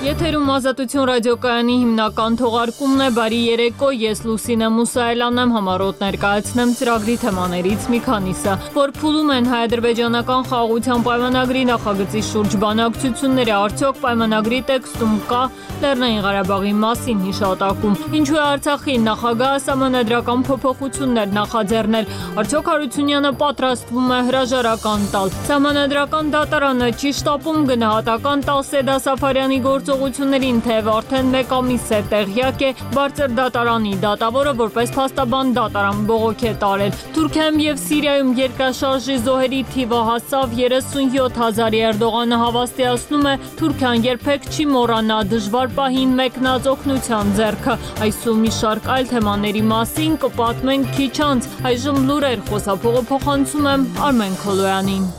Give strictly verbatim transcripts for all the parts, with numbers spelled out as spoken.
Եթերում Ազատություն ռադիոկայանի հիմնական թողարկումն է, բարի երեկո, ես Լուսինե Մուսայելյանն եմ, համառոտ ներկայացնեմ ծրագրի թեմաներից մի քանիսը, որ փուլում են հայ-ադրբեջանական խաղաղության պայմանագրի նախագծի շուրջ բանակցությունները, արդյոք պայմանագրի տեքստում կա Լեռնային Ղարաբաղի մասին հիշատակում, ինչու է Արցախի նախագահը սահմանադրական փոփոխություններ նախաձեռնել, արդյոք Հարությունյանը պատրաստվում է հրաժարական տալ, սահմանադրական դատարանը չի շտապում գնահատական տալ Սեդա Սաֆարյանի գործողություններին, թեև արդեն մեկ ամիս է տեղյակ է բարձր դատարանի դատավորը որպես փաստաբան դատարան բողոք է տարել։ Թուրքիայում եւ Սիրիայում երկրաշարժի զոհերի թիվը հասավ երեսունյոթ հազարի, Էրդողանը հավաստիացնում է Թուրքիան երբեք չի մոռանա դժվար պահին մեկնած օգնության ձեռքը։ Այսօր մի շարք այլ թեմաների մասին կպատմենք քիչ անց, այժմ լուրեր, խոսափողը փոխանցում եմ Արմեն Քոլոյանին։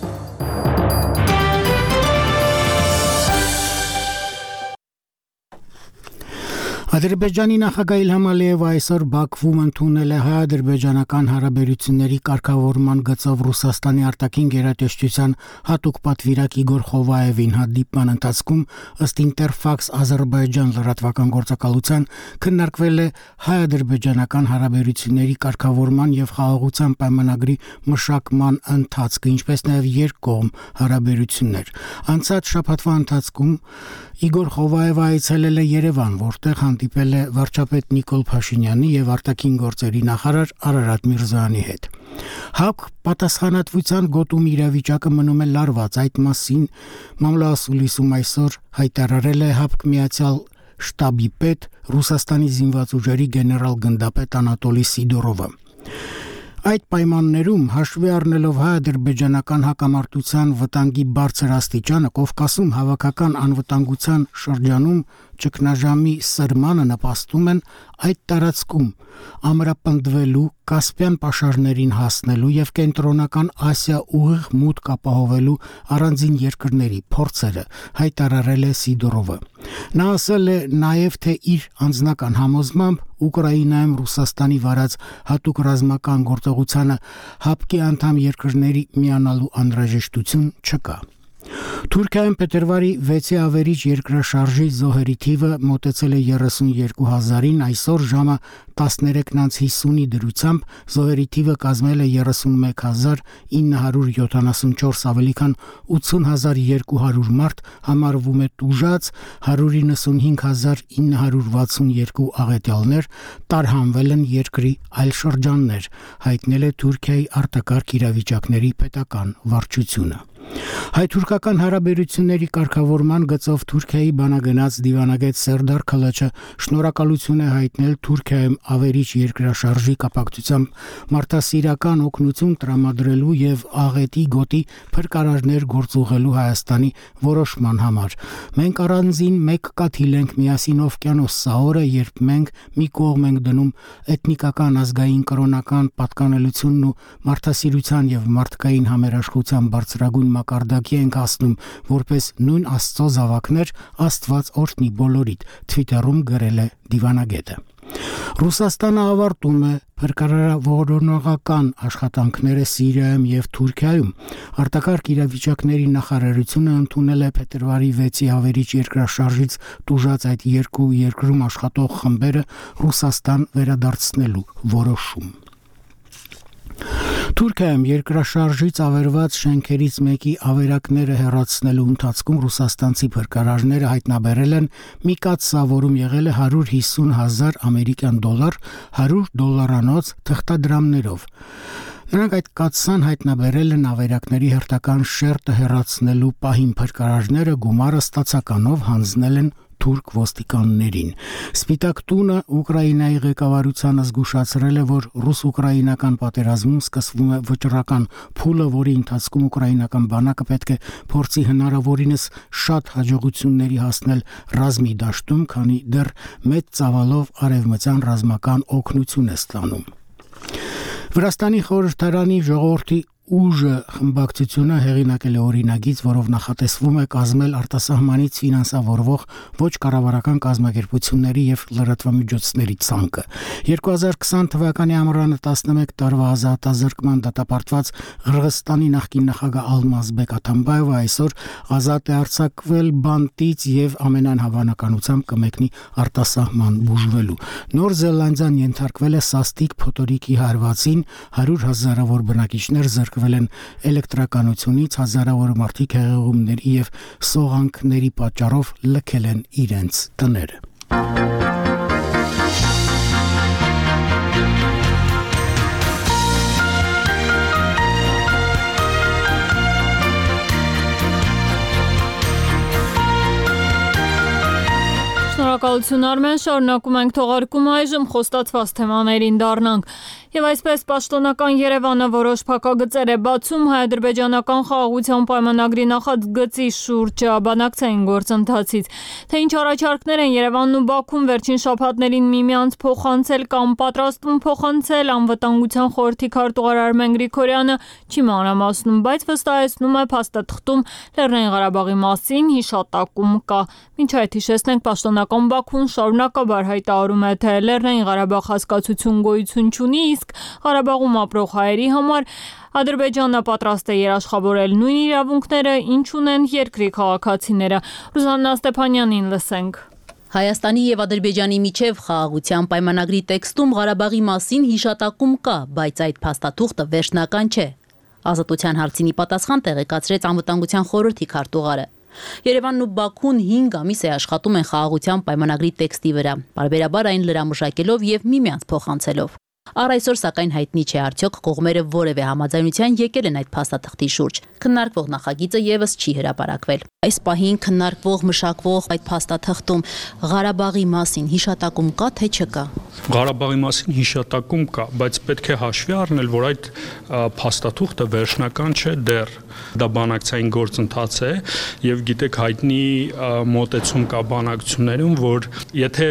Ադրբեջանի նախագահ Իլհամ Ալիևը այսօր Բաքվում ընդունել է հայ-ադրբեջանական հարաբերությունների կարգավորման գծով Ռուսաստանի արտաքին գերատեսչության հատուկ պատվիրակ Իգոր Խովայևին հանդիպման ընթացքում ըստ Ինտերֆաքս Ադրբեջան լրատվական գործակալության քննարկվել է հայ-ադրբեջանական հարաբերությունների կարգավորման եւ խաղաղության պայմանագրի մշակման ընթացքը, ինչպես նաեւ երկկողմ հարաբերություններ։ Անցած շաբաթվա ընթացքում Իգոր Խովայևը այցելել է Երևան, որտեղ հանդիպել է վարչապետ Նիկոլ Փաշինյանի եւ արտաքին գործերի նախարար Արարատ Միրզոյանի հետ։ ՀԱՊԿ պատասխանատվության գոտում իրավիճակը մնում է լարված, այդ մասին մամլոասուլիսում այսօր հայտարարել է ՀԱՊԿ միացյալ շտաբի պետ Ռուսաստանի զինված ուժերի գեներալ գնդապետ Անատոլի Սիդորովը։ Այդ պայմաններում հաշվի առնելով հայ-ադրբեջանական հակամարտության վտանգի բարձր աստիճանը Կովկասում հավաքական անվտանգության շրջանում ճգնաժամի սրմանը նպաստում են այդ տարածքում ամրապնդվելու, Կասպյան պաշարներին հասնելու եւ կենտրոնական Ասիա ուղիղ մուտք ապահովելու առանձին երկրների փորձերը, հայտարարել է Սիդորովը։ Նա ասել է նաեւ, թե իր անձնական համոզմամբ Ուկրաինայում Ռուսաստանի վարած հատուկ ռազմական գործողությանը ՀԱՊԿ-ի անդամ երկրների միանալու անհրաժեշտություն չկա։ Թուրքիայում փետրվարի վեցի ավերիչ երկրաշարժի զոհերի թիվը մոտեցել է երեսունյոթ հազարին, այսօր ժամը տասներեքն անց հիսունի դրությամբ զոհերի թիվը կազմել է երեսունմեկ հազար ինը հարյուր յոթանասունչորս, ավելի քան ութուն հազար երկու հարյուր մարդ համարվում է տուժած, հարյուր իննսունհինգ հազար ինը հարյուր վաթսունյոթ աղետյալներ տարհանվել են երկրի այլ շրջաններ, հայտնել է Թուրքիայի արտակարգ իրավիճակների պետական վարչությունը։ Հայ-թուրքական հարաբերությունների կարգավորման գծով Թուրքիայի բանագնաց դիվանագետ Սերդար Քալաչը շնորհակալություն է հայտնել Թուրքիայում ավերիչ երկրաշարժի կապակցությամբ մարդասիրական օգնություն տրամադրելու եւ աղետի գոտի փրկարարներ գործուղելու Հայաստանի որոշման համար։ Մենք առանձին մեկ կաթիլ ենք միասին օվկիանոս սահորը, երբ մենք մի կողմ ենք դնում էթնիկական, ազգային, կրոնական պատկանելությունն ու մարդասիրության եւ մարդկային համերաշխության բարձրագույն մակարդակի ենք հասնում, որպես նույն Աստծո զավակներ, Աստված օրհնի բոլորիդ, Twitter-ում գրել է դիվանագետը։ Ռուսաստանը ավարտում է փրկարարավորողական աշխատանքները Սիրիայում եւ Թուրքիայում։ Արտակարգ իրավիճակների նախարարությունը ընդունել է փետրվարի վեցի ավերիչ երկրաշարժից տուժած այդ երկու երկրում աշխատող խմբերը Ռուսաստան վերադարձնելու որոշում։ Թուրքիայում երկրաշարժից ավերված շենքերից մեկի ավերակները հեռացնելու ընթացքում ռուսաստանցի փրկարարները հայտնաբերել են մի կաթսա, որում եղել է հարյուր հիսուն հազար ամերիկյան դոլար, հարյուր դոլարանոց թղթադրամներով։ Նրանք այդ կաթսան հայտնաբերել են ավերակների հերթական շերտը հեռացնելու պահին, փրկարարները գումարը ստացականով հանձնել են թուրք ոստիկաններին։ Սպիտակ տունը Ուկրաինայի ղեկավարությանը զգուշացրել է, որ ռուս-ուկրաինական պատերազմում սկսվում է վճռական փուլը, որի ընթացքում ուկրաինական բանակը պետք է փորձի հնարավորինս շատ հաջողությունների հասնել ռազմի դաշտում, քանի դեռ մեծ ծավալով արևմտյան ռազմական օգնություն է ստանում։ Վրաստանի խորհրդարանի ժողովրդի ուժը խմբակցությունը հեղինակել է օրինագիծ, որով նախատեսվում է կազմել արտասահմանից ֆինանսավորվող ոչ կառավարական կազմակերպությունների եւ լրատվամիջոցների ցանկը։ երկու հազար քսան թվականի ամռանը տասնմեկ տարվա ազատազրկման դատապարտված Ղրղստանի նախկին նախագահ Ալմազբեկ Աթամբաևը այսօր ազատ է արձակվել բանտից եւ ամենայն հավանականությամբ կմեկնի արտասահման բուժվելու։ Նոր Զելանդիան ենթարկվել է սաստիկ փոթորիկի հարվածին, հարյուր հազարավոր բնակիչներ զրկվել են էլեկտրականությունից, հազարավոր մարդիկ հեղեղումների եւ սողանքների պատճառով լքել են իրենց տները։ Շնորհակալություն Արմեն, շարունակում ենք թողարկումը, այժմ խոստացված թեմաներին դառնանք։ Եվ այսպես պաշտոնական Երևանը որոշ փակագծեր է բացում հայ-ադրբեջանական խաղաղության պայմանագրի նախագծի շուրջ բանակցային գործընթացից։ Թե ինչ առաջարկներ են Երևանն ու Բաքուն վերջին շաբաթներին միմյանց փոխանցել կամ պատրաստվում փոխանցել, անվտանգության խորհրդի քարտուղար Արմեն Գրիգորյանը չի մանրամասնում, բայց վստահեցնում է փաստաթղթում Լեռնային Ղարաբաղի մասին հիշատակում կա։ Մինչ այդ հիշեցնենք, պաշտոնական Բաքուն շարունակաբար հայտարարում է, թե Լեռնային Ղարաբաղ հասկացություն գոյություն չունի, իսկ Ղարաբաղում ապրող հայերի համար Ադրբեջանը պատրաստ է երաշխավորել նույն իրավունքները, ինչ ունեն երկրի քաղաքացիները։ Ռուզաննա Ստեփանյանին լսենք։ Հայաստանի եւ Ադրբեջանի միջև խաղաղության պայմանագրի տեքստում Ղարաբաղի մասին հիշատակում կա, բայց այդ փաստաթուղթը վերջնական չէ։ Ազատության հարցինի պատասխան տեղեկացրեց անվտանգության խորհրդի քարտուղարը։ Երևանն ու Բաքուն հինգ ամիս է աշխատում են խաղաղության պայմանագրի տեքստի վրա, բարբերաբար այն լրամշակելով եւ միմյանց փոխանցելով։ Առ այսօր սակայն հայտնի չէ արդյոք կողմերը որևէ համաձայնության եկել են այդ փաստաթղթի շուրջ։ Քննարկվող նախագիծը եւս չի հրապարակվել։ Այս պահին քննարկվող մշակվող այդ փաստաթղթում Ղարաբաղի մասին հիշատակում կա թե չկա։ Ղարաբաղի մասին հիշատակում կա, բայց պետք է հաշվի առնել, որ այդ փաստաթուղթը վերջնական չէ դեռ։ Դա բանակցային գործընթաց է եւ գիտեք հայտնի մոտեցում կա բանակցություններում, որ եթե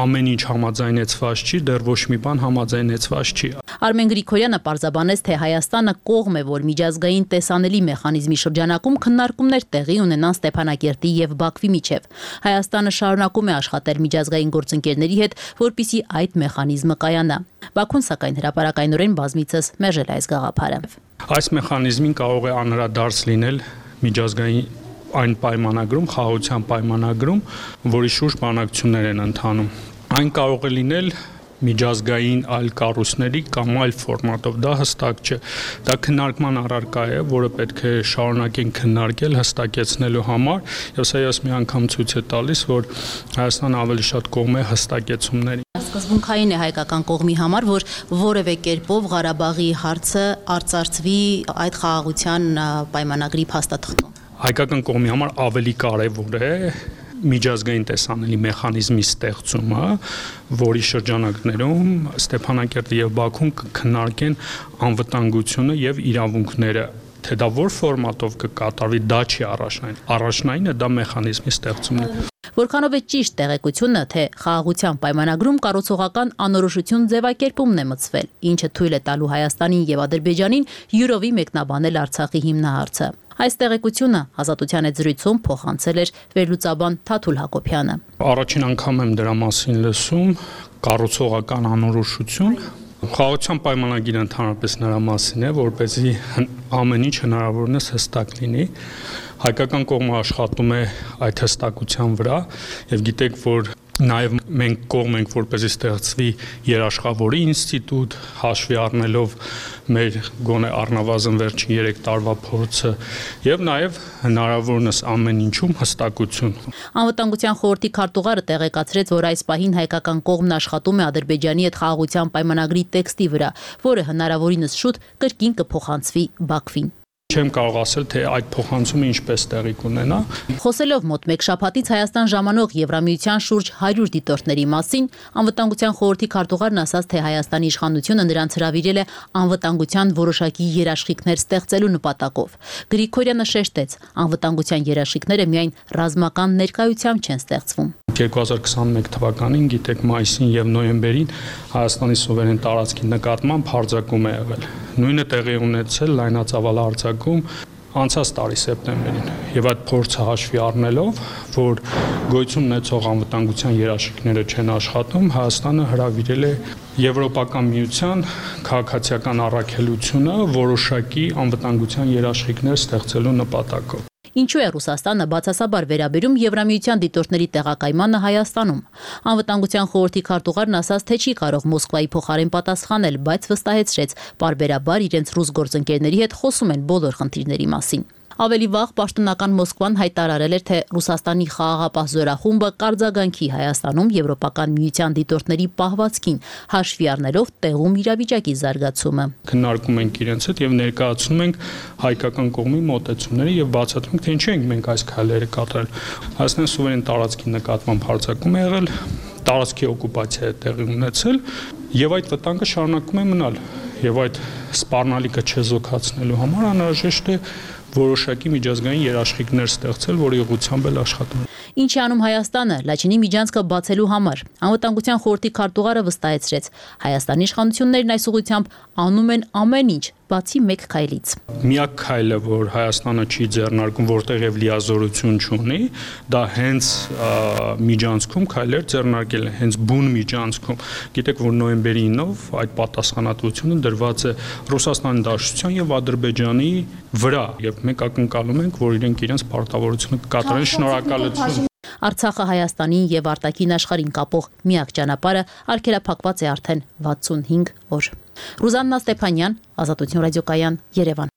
ամեն ինչ համաձայնեցված չի, դեռ ոչ մի բան համաձայնեցված չի։ Արմեն Գրիգորյանը պարզաբանեց, թե Հայաստանը կողմ է, որ միջազգային տեսանելի մեխանիզմի շրջանակում քննարկումներ տեղի ունենան Ստեփանակերտի եւ Բաքվի միջև։ Հայաստանը շարունակում է աշխատել միջազգային գործընկերների հետ, որպիսի այդ մեխանիզմը կայանա։ Բաքուն սակայն հրապարակայնորեն բազմիցս մերժել այս գաղափարը։ Այս մեխանիզմին կարող է անդրադարձ լինել միջազգային այն պայմանագրում, խաղաղության պայմանագրում, որի շուրջ բանակցություններ են ընթանում։ Այն կարող է լինել միջազգային այլ կառույցների կամ այլ ֆորմատով, դա հստակ չէ։ Դա քննարկման առարկա է, որը պետք է շարունակեն քննարկել հստակեցնելու համար, եւ սա ես մի անգամ ցույց է տալիս, որ Հայաստանը ավելի շատ կողմ է հստակեցումների։ Սկզբունքային է հայկական կողմի համար, որ որևէ կերպով Ղարաբաղի հարցը արծարծվի այդ խաղաղության պայմանագրի փաստաթղթում։ Հայկական կողմի համար ավելի կարևոր է միջազգային տեսանելի մեխանիզմի ստեղծումը, որի շրջանակներում Ստեփանակերտը եւ Բաքուն կքննարկեն անվտանգությունը եւ իրավունքները, թե դա որ ֆորմատով կկատարվի, դա չի առաջնային։ Առաջնայինը դա մեխանիզմի ստեղծումն է։ Որքանով է ճիշտ տեղեկությունը, թե խաղաղության պայմանագրում կառուցողական անորոշություն ձևակերպումն է մտցվել, ինչը թույլ է տալու Հայաստանին եւ Ադրբեջանին յուրովի մեկնաբանել Արցախի հիմնահարցը։ Այս տեղեկությունը Ազատության այդ զրույցում փոխանցել էր վերլուծաբան Թաթուլ Հակոբյանը։ Առաջին անգամ եմ դրա մասին լսում, կառուցողական անորոշություն։ Խաղաղության պայմանագիրը ընդհանրապես նրա մասին է, որպեսզի ամեն ինչ հնարավորինս հստակ լինի։ Հայկական կողմը աշխատում է այդ հստակության վրա եւ գիտեք, որ նաև մենք կողմ ենք, որպեսզի ստեղծվի երաշխավորի ինստիտուտ, հաշվի առնելով մեր գոնե առնվազն վերջին երեք տարվա փորձը եւ նաև հնարավորինս ամեն ինչում հստակություն։ Անվտանգության խորհրդի քարտուղարը տեղեկացրեց, որ այս պահին հայկական կողմն աշխատում է Ադրբեջանի հետ խաղաղության պայմանագրի տեքստի վրա, որը հնարավորինս շուտ կրկին կփոխանցվի Բաքվին։ Չեմ կարող ասել, թե այդ փոխանցումը ինչպես տեղի կունենա։ Խոսելով մոտ մեկ շաբաթից Հայաստան ժամանող Եվրամիության շուրջ հարյուր դիտորդների մասին, անվտանգության խորհրդի քարտուղարն ասաց, թե Հայաստանի իշխանությունը նրանց հրավիրել է անվտանգության որոշակի երաշխիքներ ստեղծելու նպատակով։ Գրիգորյանը շեշտեց, անվտանգության երաշխիքները միայն ռազմական ներկայությամբ չեն ստեղծվում։ երկու հազար քսաներկու թվականին գիտեք մայիսին եւ նոյեմբերին Հայաստանի սուվերեն տարածքի նկատմամբ հարձակում է եղել։ Նույնը տեղի ունեցել լայնածավալ հարձակում անցած տարի սեպտեմբերին եւ այդ փորձը հաշվի առնելով, որ գոյություն ունեցող անվտանգության երաշխիքները չեն աշխատում, Հայաստանը հրավիրել է Եվրոպական միության քաղաքացիական առաքելությունը որոշակի անվտանգության երաշխիքներ ստեղծելու նպատակով։ Ինչու է Ռուսաստանը բացասաբար վերաբերում Եվրամիության դիտորդների տեղակայմանը Հայաստանում։ Անվտանգության խորհրդի քարտուղարն ասաց, թե չի կարող Մոսկվայի փոխարեն պատասխանել, բայց վստահեցրեց, պարբերաբար իրենց ռուս գործընկերների հետ խոսում են բոլոր խնդիրների մասին։ Ավելի վաղ պաշտոնական Մոսկվան հայտարարել էր, թե Ռուսաստանի խաղաղապահ զորախումբը կարձագանքի Հայաստանում Եվրոպական միության դիտորդների պահվածքին, հաշվի առնելով տեղում իրավիճակի զարգացումը։ Քննարկում ենք իրենց հետ եւ ներկայացնում ենք հայկական կողմի մոտեցումները եւ բացատրում, թե ինչու ենք մենք այս քայլերը կատարել։ Հայաստանի սուվերեն տարածքի նկատմամբ հարձակում է եղել, տարածքի օկուպացիա է տեղի ունեցել եւ այդ վտանգը շարունակում է մնալ եւ այդ սպառնալիքը չեզոքացնելու համար անհրաժեշտ է որոշակի միջազգային երաշխիքներ ստեղծել, որի ուղղությամբ էլ աշխատում։ Ինչի անում Հայաստանը Լաչինի միջանցքը բացելու համար։ Անվտանգության խորհրդի քարտուղարը վստահեցրեց, Հայաստանի իշխանություններն այս ուղղությամբ անում են ամեն ինչ, բացի մեկ քայլից։ Միակ քայլը, որ Հայաստանը չի ձեռնարկում, որտեղ եւ լիազորություն չունի, դա հենց միջանցքում քայլեր ձեռնարկել է, հենց բուն միջանցքում։ Գիտեք, որ նոյեմբերի ինով այդ պատասխանատվությունը դրված է Ռուսաստանի Դաշնության եւ Ադրբեջանի վրա, եւ մենք ակնկալում ենք, որ իրենք իրենց պարտավորությունը կկատարեն։ Շնորհակալություն։ Արցախը Հայաստանին եւ արտաքին աշխարհին կապող միակ ճանապարհը արգելափակված է արդեն վաթսունհինգ օր։ Ռուզաննա Ստեփանյան, Ազատություն ռադիոկայան, Երևան։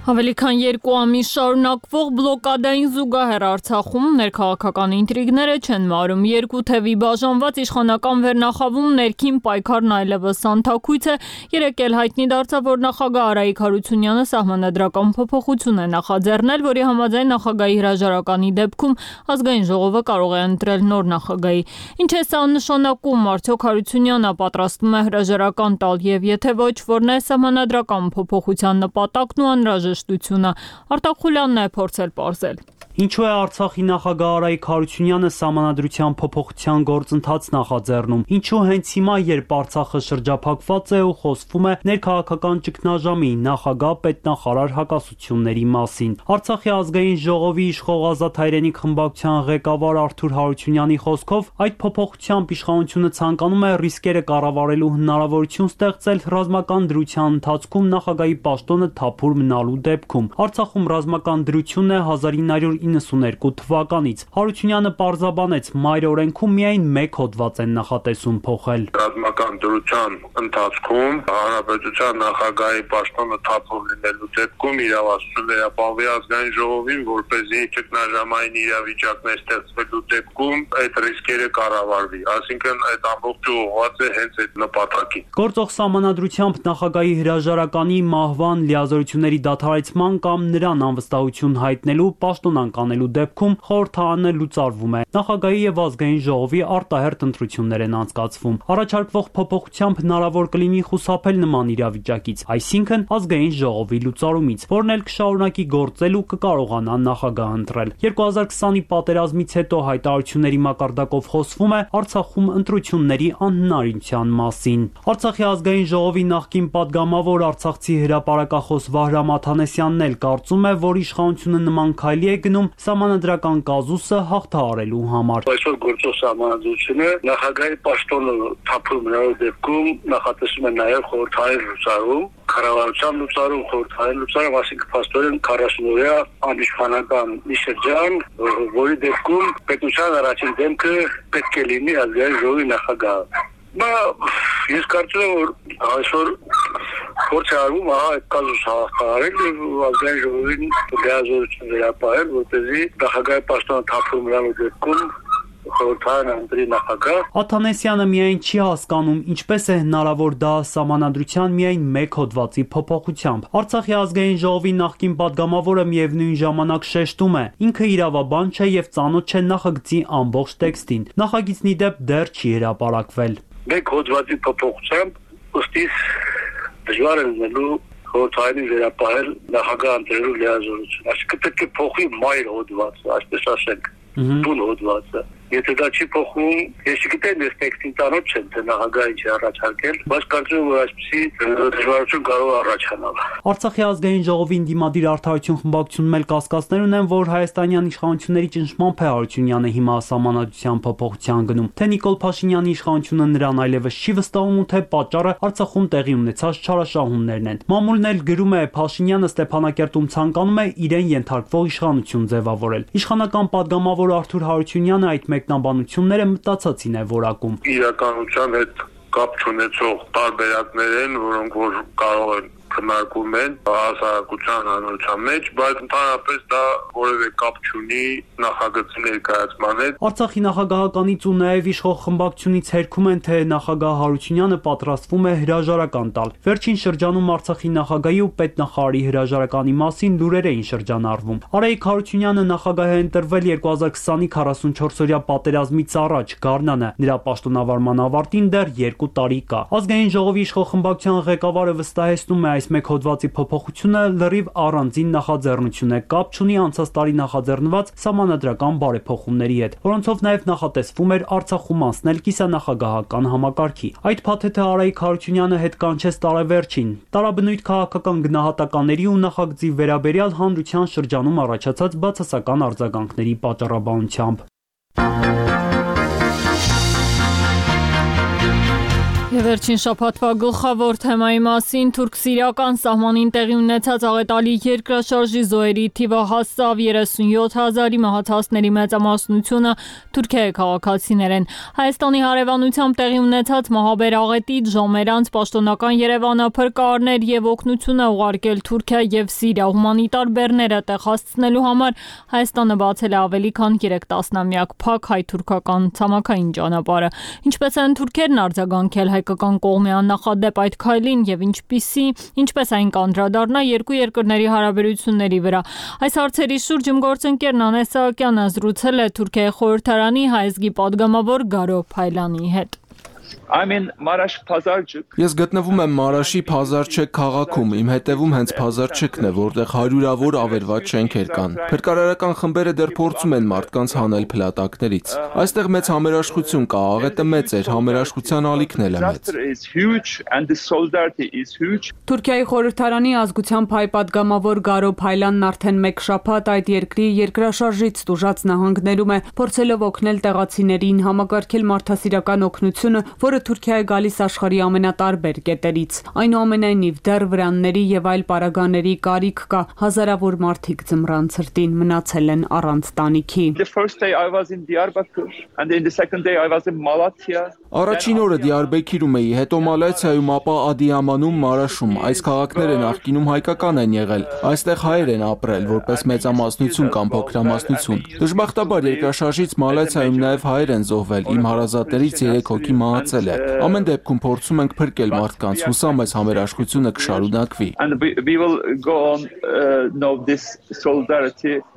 Ավելի քան երկու ամիս շարունակվող բլոկադային զուգահեռ Արցախում ներքաղաքական ինտրիգները չեն մարում։ Երկու թևի բաժանված իշխանական վերնախավում ներքին պայքարն այլևս անթաքույց է։ Երեկ էլ հայտնի դարձավ, որ նախագահ Արայիկ Հարությունյանը սահմանադրական փոփոխություն է նախաձեռնել, որի համաձայն նախագահի հրաժարականի դեպքում ազգային ժողովը կարող է ընտրել նոր նախագահի։ Ինչ է սա նշանակում, արդյոք Հարությունյանը պատրաստվում է հրաժարական տալ եւ եթե ոչ, որն է սահմանադրական փոփոխության նպատակն ու անհրաժեշտ Արտակ Խուլյանն է փորձել պարզել։ Ինչու է Արցախի նախագահ Արայիկ Հարությունյանը սահմանադրության փոփոխության գործընթաց նախաձեռնում։ Ինչու հենց հիմա, երբ Արցախը շրջափակված է ու խոսվում է ներքաղաքական ճգնաժամի, նախագահ պետնախարար հակասությունների մասին։ Արցախի ազգային ժողովի իշխող Ազատ հայրենիք խմբակցության ղեկավար Արթուր Հարությունյանի խոսքով այդ փոփոխությամբ իշխանությունը ցանկանում է ռիսկերը կառավարելու հնարավորություն ստեղծել ռազմական դրության ընթացքում նախագահի պաշտոնը թափուր մնալու դեպքում։ Արցախում ռազմական դրությունն է հազար ինը հարյուր իննսուներկու թվականից։ Հարությունյանը պարզաբանեց, մայր օրենքում միայն մեկ հոդված են նախատեսում փոխել։ Ռազմական դրության ընթացքում հանրապետության նախագահի պաշտոնը թափուր լինելու դեպքում իրավասություն վերապահվի ազգային ժողովին, որպեսզի ճգնաժամային իրավիճակներ ստեղծվելու դեպքում այդ ռիսկերը կառավարվի։ Այսինքն այդ ամբողջը ուղղված է հենց այդ նպատակին։ Գործող սահմանադրությամբ նախագահի հրաժարականի, մահվան, լիազորությունների դադարեցման կամ նրան անվստահություն հայտնելու, պաշտոնանկ անելու դեպքում խորհրդարանը լուծարվում է։ Նախագահի եւ ազգային ժողովի արտահերթ ընտրություններ են անցկացվում։ Առաջարկվող փոփոխությամբ հնարավոր կլինի խուսափել նման իրավիճակից, այսինքն ազգային ժողովի լուծարումից, որն էլ կշարունակի գործել ու կկարողանա նախագահ ընտրել։ երկու հազար քսանի պատերազմից հետո հայտարարությունների մակարդակով խոսվում է Արցախում ընտրությունների անհնարինության մասին։ Արցախի ազգային ժողովի նախկին падգամավոր արցախցի հրապարակախոս Վահրամ Աթանեսյանն էլ կարծում է, որ իշխանությունը նման քայլի է գնում սահմանադրական կազուսը հաղթահարելու համար։ Այսօր գործող սահմանադրությունը նախագահի պաշտոնը թափուր մնալու դեպքում նախատեսում է նաև խորհրդային լուծարում, կառավարության լուծարում, խորհրդային լուծարում, այսինքն փաստորեն քառասուն-օրյա անիշխանական մի շրջան, որի դեպքում պետության առաջին դեմքը պետք է լինի ազգային ժողովի նախագահը։ Բա ես կարծում եմ, որ այսօր փորձ է արվում այդ կազուսը հաղթահարել եւ ազգային ժողովին լիազորություն վերապահել, որպեսզի նախագահի պաշտոնը թափուր մնալու դեպքում խորհրդարանը ընտրի նախագահ։ Աթանեսյանը միայն չի հասկանում, ինչպես է հնարավոր դա սահմանադրության միայն մեկ հոդվածի փոփոխությամբ։ Արցախի ազգային ժողովի նախկին падգամավորը միևնույն ժամանակ շեշտում է, ինքը իրավաբան չէ եւ ծանոթ չէ նախագծի ամբողջ տեքստին։ Նախագիծն ի դեպ դեռ չի հրապարակվել։ Մեկ հոդվածի փոփոխությամբ ըստ իս դժվար է լինելու խորհրդային վերապահել նախագահ ընտրելու լիազորություն։ Այսինքն պետք է փոխի մայր հոդվածը, այսպես ասենք, բուն հոդվածը։ Եթե դա չի փոխվում, ես չգիտեմ, ես տեքստին ծանոթ չեմ, թե նախագահը ինչ է առաջարկել, բայց կարծում եմ, որ այսպիսի դժվարություն կարող է առաջանալ։ Արցախի ազգային ժողովին դիմադիր Արդարություն խմբակցությունում էլ կասկածներ ունեն, որ հայաստանյան իշխանությունների ճնշմամբ է Հարությունյանը հիմա սահմանադրության փոփոխության գնում։ Թե Նիկոլ Փաշինյանի իշխանությունը նրան այլևս չի վստահում ու թե պատճառը Արցախում տեղի ունեցած չարաշահումներն են։ Մամուլն էլ գրում է, Փաշինյանը Ստեփանակերտում ցանկանում է իրեն ենթարկվող իշխանություն ձևավորել։ Իշխանական падգամավոր Արթուր Հարությունյանը այդ մեկնաբանությունները մտածածին է որակում։ Իրականության հետ կապ չունեցող տարբերակներ են, որոնք որ կարող են քննարկում են հասարակության հանրության մեջ, բայց ընդհանրապես դա որևէ կապ չունի նախագծի ներկայացման հետ։ Արցախի նախագահականից ու նաև իշխող խմբակցությունից հերքում են, թե նախագահ Հարությունյանը պատրաստվում է հրաժարական տալ։ Վերջին շրջանում Արցախի նախագահի ու պետնախարարի հրաժարականի մասին լուրեր էին շրջանառվում։ Արայիկ Հարությունյանը նախագահ է ընտրվել երկու հազար քսանի քառասունչորսօրյա պատերազմից առաջ Գառնանը։ Նրա պաշտոնավարման ավարտին դեռ երկու տարի կա։ Ազգային ժողովի իշխող խմբակցության ղեկավարը վստահեցնում է, այս մեկ հոդվածի փոփոխությունը լրիվ առանձին նախաձեռնություն է, կապ չունի անցած տարի նախաձեռնված սահմանադրական բարեփոխումների հետ, որոնցով նաև նախատեսվում էր Արցախում անցնել կիսանախագահական համակարգի։ Այդ փաթեթը Արայիկ Հարությունյանը հետ կանչեց տարեվերջին։ Տարաբնույթ քաղաքական գնահատականների ու նախագծի վերաբերյալ հանրության շրջանում առաջացած բացասական արձագանքների պատճառաբանությամբ։ Եվ վերջին շաբաթվա գլխավոր թեմայի մասին թուրք-սիրիական սահմանին տեղի ունեցած աղետալի երկրաշարժի զոհերի թիվը հասավ երեսունյոթ հազարի, մահացածների մեծամասնությունը Թուրքիայի քաղաքացիներ են։ Հայաստանի հարևանությամբ տեղի ունեցած մահաբեր աղետից ժամեր անց պաշտոնական Երևանը փրկարարներ եւ օգնություն է ուղարկել Թուրքիա եւ Սիրիա։ Հումանիտար բեռները տեղ հասցնելու համար Հայաստանը բացել է ավելի քան երեք տասնամյակ փակ հայ-թուրքական ցամաքային ճանապարհը։ Ինչպես են թուրքերն արձագանքել հայկական կողմի աննախադեպ այդ քայլին եւ ինչպիսի ինչպես այն կանդրադառնա երկու երկրների հարաբերությունների վրա։ Այս հարցերի շուրջ իմ գործընկերն Անես Սահակյանը զրուցել է Թուրքիայի խորհրդարանի հայազգի падգամավոր Գարո Փայլանի հետ։ Ես գտնվում եմ Մարաշի Փազարչեկ քաղաքում, իմ հետևում հենց Փազարչեկն է, որտեղ հարյուրավոր ավերված շենքեր կան։ Փրկարարական խմբերը դեռ փորձում են մարդկանց հանել փլատակներից։ Այստեղ մեծ համերաշխություն կա, աղետը մեծ էր, համերաշխության ալիքն էլ է մեծ։ Թուրքիայի խորհրդարանի ազգությամբ հայ падգամավոր Գարո Փայլանն արդեն մեկ շաբաթ այդ երկրի երկրաշարժից տուժած նահանգներում է, փորձելով օգնել տեղացիներին համակարգել մարդասիրական օգնությունը, որը Թուրքիա է գալիս աշխարհի ամենատարբեր կետերից։ Այնուամենայնիվ դեռ վրանների եւ այլ պարագաների կարիք կա, հազարավոր մարդիկ ձմռան ցրտին մնացել են առանց տանիքի։ Առաջին օրը Դիարբեքիրում էի, հետո Մալաթիայում, ապա Ադիամանում, Մարաշում։ Այս քաղաքները նախկինում հայկական են եղել։ Այստեղ հայեր են ապրել, որպես մեծամասնություն կամ փոքրամասնություն։ Դժբախտաբար երկրաշարժից Մալաթիայում նաև հայեր են զոհվել, իմ հարազատներից երեք հոգի մահացել է։ Ամեն դեպքում փորձում ենք փրկել մարդկանց, հուսամ այս համերաշխությունը կշարունակվի։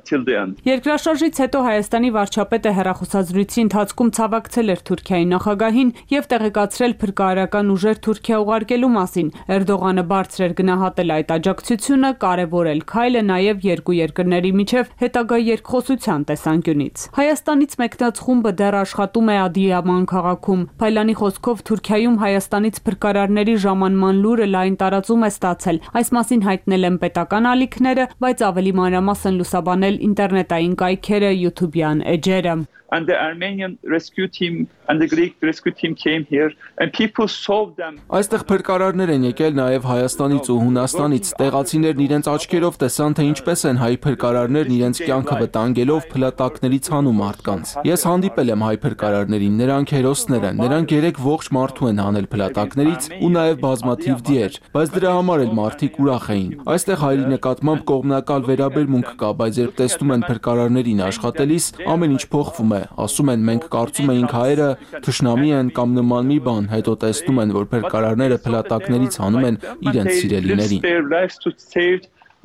Երկրաշարժից հետո Հայաստանի վարչապետը հեռախոսազրույցի ընթացքում ցավակցել էր Թուրքիայի նախագահին եւ տեղեկացրել փրկարարական ուժեր Թուրքիա ուղարկելու մասին։ Էրդողանը բարձր էր գնահատել այդ աջակցությունը, կարևորել քայլը նաեւ երկու երկրների միջև հետագա երկխոսության տեսանկյունից։ Հայաստանից մեկնած խումբը դեռ աշխատում է Ադիաման քաղաքում։ Փայլանի խոսքով Թուրքիայում Հայաստանից փրկարարների ժամանման լուրը լայն տարածում է ստացել։ Այս մասին հայտնել են պետական ալիքները, բայց ավելի մանրամասն լուսաբանել ինտերնետային կայքերը, յութուբյան էջերը։ And the Armenian rescue team and the Greek rescue team came here and people saw them. Այստեղ փրկարարներ են եկել նաև Հայաստանից ու Հունաստանից։ Տեղացիներն իրենց աչքերով տեսան, թե ինչպես են հայ փրկարարներն իրենց կյանքը վտանգելով փլատակներից հանում մարդկանց։ Ես հանդիպել եմ հայ փրկարարներին, նրանք հերոսներ են, նրանք երեք ողջ մարդու են հանել փլատակներից ու նաև բազմաթիվ դիեր, բայց դրա համար էլ մարդիկ ուրախ էին։ Այստեղ հայերի նկատմամբ կողմնակալ վերաբերմունք կա, բայց երբ տեսնում են փրկարարներին աշխատելիս, ամեն ինչ փոխվում է։ Ասում են մենք կարծում էինք հայերը թշնամի են կամ նման մի բան, հետո տեսնում են, որ փրկարարները փլատակներից հանում են իրենց սիրելիներին։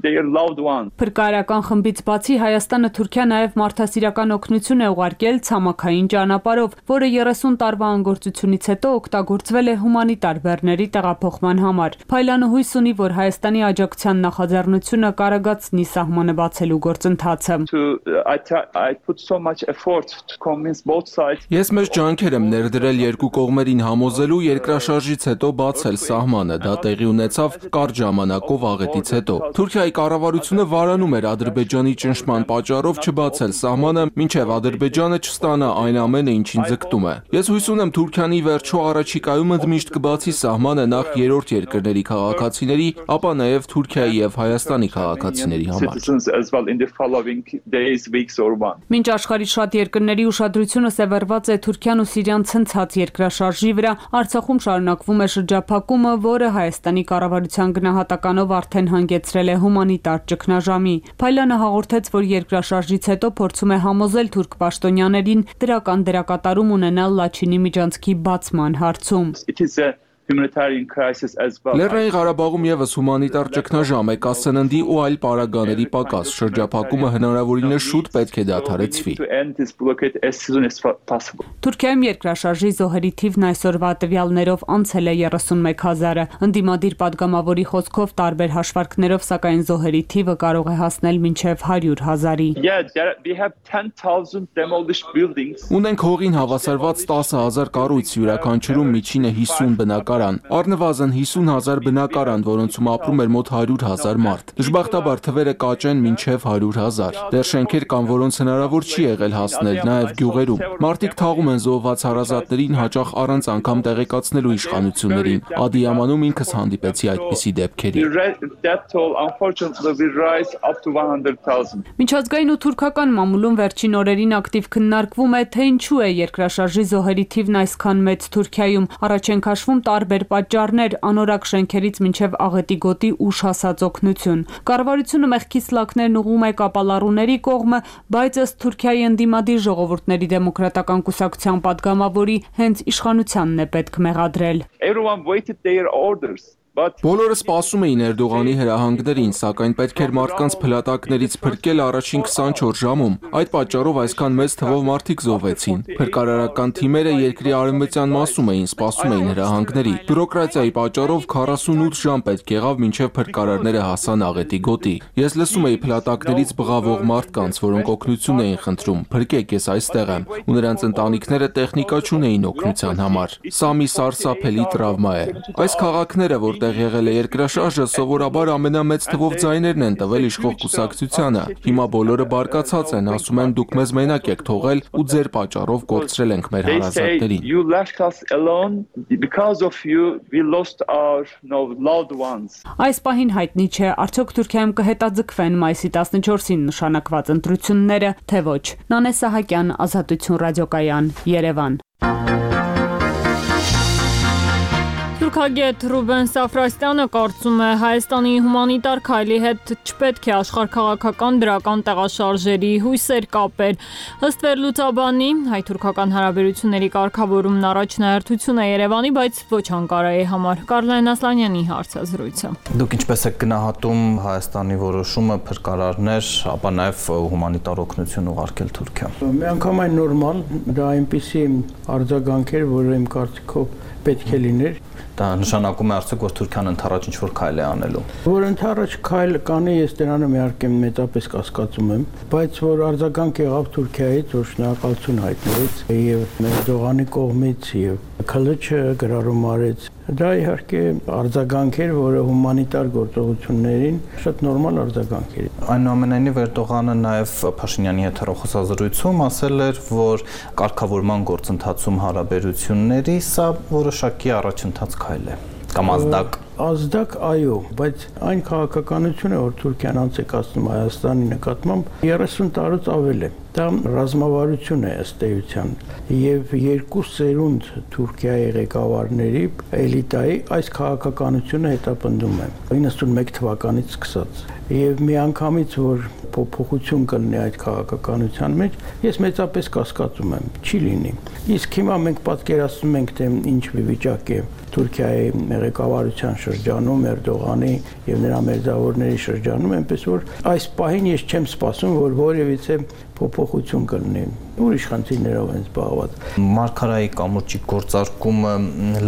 their loved ones. Փրկարարական խմբից բացի Հայաստանը Թուրքիա նաև մարդասիրական օգնություն է ուղարկել ցամաքային ճանապարհով, որը երեսուն տարվա անգործությունից հետո օգտագործվել է հումանիտար բեռների տեղափոխման համար։ Փայլանը հույս ունի, որ Հայաստանի աջակցության նախաձեռնությունը կարագացնի սահմանը բացելու գործընթացը։ I put so much effort to convince both sides. Ես մեծ ջանքեր եմ ներդրել երկու կողմերին համոզելու երկրաշարժից հետո բացել սահմանը, դա տեղի ունեցավ կարճ ժամանակով աղետից հետո։ Թուրքիայի կառավարությունը վարանում էր Ադրբեջանի ճնշման պատճառով չբացել սահմանը, մինչև Ադրբեջանը չստանա այն ամենը, ինչին ձգտում է։ Ես հույս ունեմ Թուրքիան ի վերջո առաջիկայում ընդմիշտ կբացի սահմանը նախ երրորդ երկրների քաղաքացիների, ապա նաև Թուրքիայի եւ Հայաստանի քաղաքացիների համար։ Մինչ աշխարհի շատ երկրների ուշադրությունը սևեռված է Թուրքիան ու Սիրիան ցնցած երկրաշարժի վրա, Արցախում շարունակվում է շրջափակումը, որը Հայաստանի կառավարության գնահատականով արդեն հանգեցրել է հումանիտար ճգնաժամի։ Փայլյանը հաղորդեց, որ երկրաշարժից հետո փորձում է համոզել թուրք պաշտոնյաներին դրական դերակատարում ունենալ Լաչինի միջանցքի բացման հարցում։ Humanitarian crisis as well. Լեռնային Ղարաբաղում եւս հումանիտար ճգնաժամ է, կա սննդի ու այլ պարագաների պակաս, շրջափակումը հնարավորինս շուտ պետք է դադարեցվի։ Թուրքիայում երկրաշարժի զոհերի թիվն այսօրվա տվյալներով անցել է երեսունմեկ հազարը։ Ընդդիմադիր падգամավորի խոսքով տարբեր հաշվարկներով, սակայն զոհերի թիվը կարող է հասնել մինչև հարյուր հազարի։ Ունենք հողին հավասարված տասը հազար կառույց, յուրաքանչյուրում միջինը հիսուն բնակարան։ Առնվազն հիսուն հազար բնակարան, որոնցում ապրում էր մոտ հարյուր հազար մարդ։ Դժբախտաբար թվերը կաճեն մինչև հարյուր հազար։ Դեռ շենքեր կան, որոնց հնարավոր չի եղել հասնել, նաև գյուղերում։ Մարդիկ թաղում են զոհված հարազատներին, հաճախ առանց անգամ տեղեկացնելու իշխանություններին։ Ադիամանում ինքս հանդիպեցի այդպիսի դեպքերի։ Միջազգային ու թուրքական մամուլում վերջին օրերին ակտիվ քննարկվում է, թե ինչու է երկրաշարժի զոհերի թիվն այսքան մեծ Թուրքիայում։ Առաջ են քաշվում տարբեր պատճառներ, անորակ շենքերից մինչև աղետի գոտի ուշ հասած օգնություն։ Կառավարությունը մեղքի սլաքներն ուղղում է կապալառուների կողմը, բայց ըստ Թուրքիայի ընդդիմադիր ժողովուրդների դեմոկրատական կուսակցության падգամավորի հենց իշխանությանն է պետք մեղադրել։ Բոլորը սպասում էին Էրդողանի հրահանգներին, սակայն պետք էր մարդկանց փլատակներից փրկել առաջին քսանչորս ժամում։ Այդ պատճառով այսքան մեծ թվով մարդիկ զոհվեցին։ Փրկարարական թիմերը երկրի արևմտյան մասում էին, սպասում էին հրահանգների։ Բյուրոկրատիայի պատճառով քառասունութ ժամ պետք եղավ մինչև փրկարարները հասան աղետի գոտի։ Ես լսում էի փլատակներից բղավող մարդկանց, որոնք օգնություն էին խնդրում։ Փրկեք, ես այստեղ եմ, ու նրանց ընտանիքները տեխնիկա չունեին օգնության համար։ Սա մի սարսափելի տրավմա է։ Այս քաղաքները, որ տեղ եղել է երկրաշարժը, սովորաբար ամենամեծ թվով ձայներն են տվել իշխող կուսակցությանը։ Հիմա բոլորը բարկացած են, ասում են դուք մեզ մենակ եք թողել ու ձեր պատճառով կորցրել ենք մեր հարազատներին։ Այս պահին հայտնի չէ, արդյոք Թուրքիայում կհետաձգվեն մայիսի տասնչորսին նշանակված ընտրությունները, թե ոչ։ Նանե Սահակյան, Ազատություն ռադիոկայան, Երևան։ Թուրքագետ Ռուբեն Սաֆրաստյանը կարծում է, Հայաստանի հումանիտար քայլի հետ չպետք է աշխարհաքաղաքական դրական տեղաշարժերի հույսեր կապել։ Ըստ վերլուծաբանի, հայ-թուրքական հարաբերությունների կարգավորումն առաջնահերթություն է Երևանի, բայց ոչ Անկարայի համար։ Կարլեն Ասլանյանի հարցազրույցը։ Դուք ինչպես եք գնահատում Հայաստանի որոշումը փրկարարներ, ապա նաև հումանիտար օգնություն ուղարկել Թուրքիա։ Միանգամայն նորմալ, դա այնպիսի արձագանք էր, որը իմ կարծիքով պետք է լիներ։ Դա նշանակում է արդյոք, որ Թուրքիան ընդառաջ ինչ-որ քայլ է անելու։ Որ ընդառաջ քայլ կանի, ես դրանում իհարկե մեծապես կասկածում եմ, բայց որ արձագանք եղավ Թուրքիայից, որ շնորհակալություն հայտնվեց եւ Էրդողանի կողմից եւ Քլիչը գրառում արեց, դա իհարկե արձագանք էր, որը հումանիտար գործողություններին շատ նորմալ արձագանք էր։ Այնուամենայնիվ Էրդողանը նաև Փաշինյանի հետ հեռախոսազրույցում ասել էր, որ կարգավորման գործընթացում հարաբերությունների սա որոշակի առաջընթաց քայլ է կամ ազդակ ազդակ այո, բայց այն քաղաքականությունը, որ Թուրքիան անց է կացնում Հայաստանի նկատմամբ երեսուն տարուց ավել է։ Դա ռազմավարություն է ըստ էության եւ երկու սերունդ Թուրքիայի ղեկավարների էլիտայի այս քաղաքականությունը հետապնդում է իննսունմեկ թվականից սկսած եւ միանգամից որ փոփոխություն կլինի այդ քաղաքականության մեջ, ես մեծապես կասկածում եմ, չի լինի։ Իսկ հիմա մենք պատկերացնում ենք, թե ինչ վիճակ է Թուրքիայի ղեկավարության շրջանում, Էրդողանի եւ նրա մերձավորների շրջանում, այնպես որ այս պահին ես չեմ սպասում, որ որևիցե փոփոխություն կլինի։ Ուրիշ խնդիրներով են զբաղված։ Մարգարայի կամուրջի գործարկումը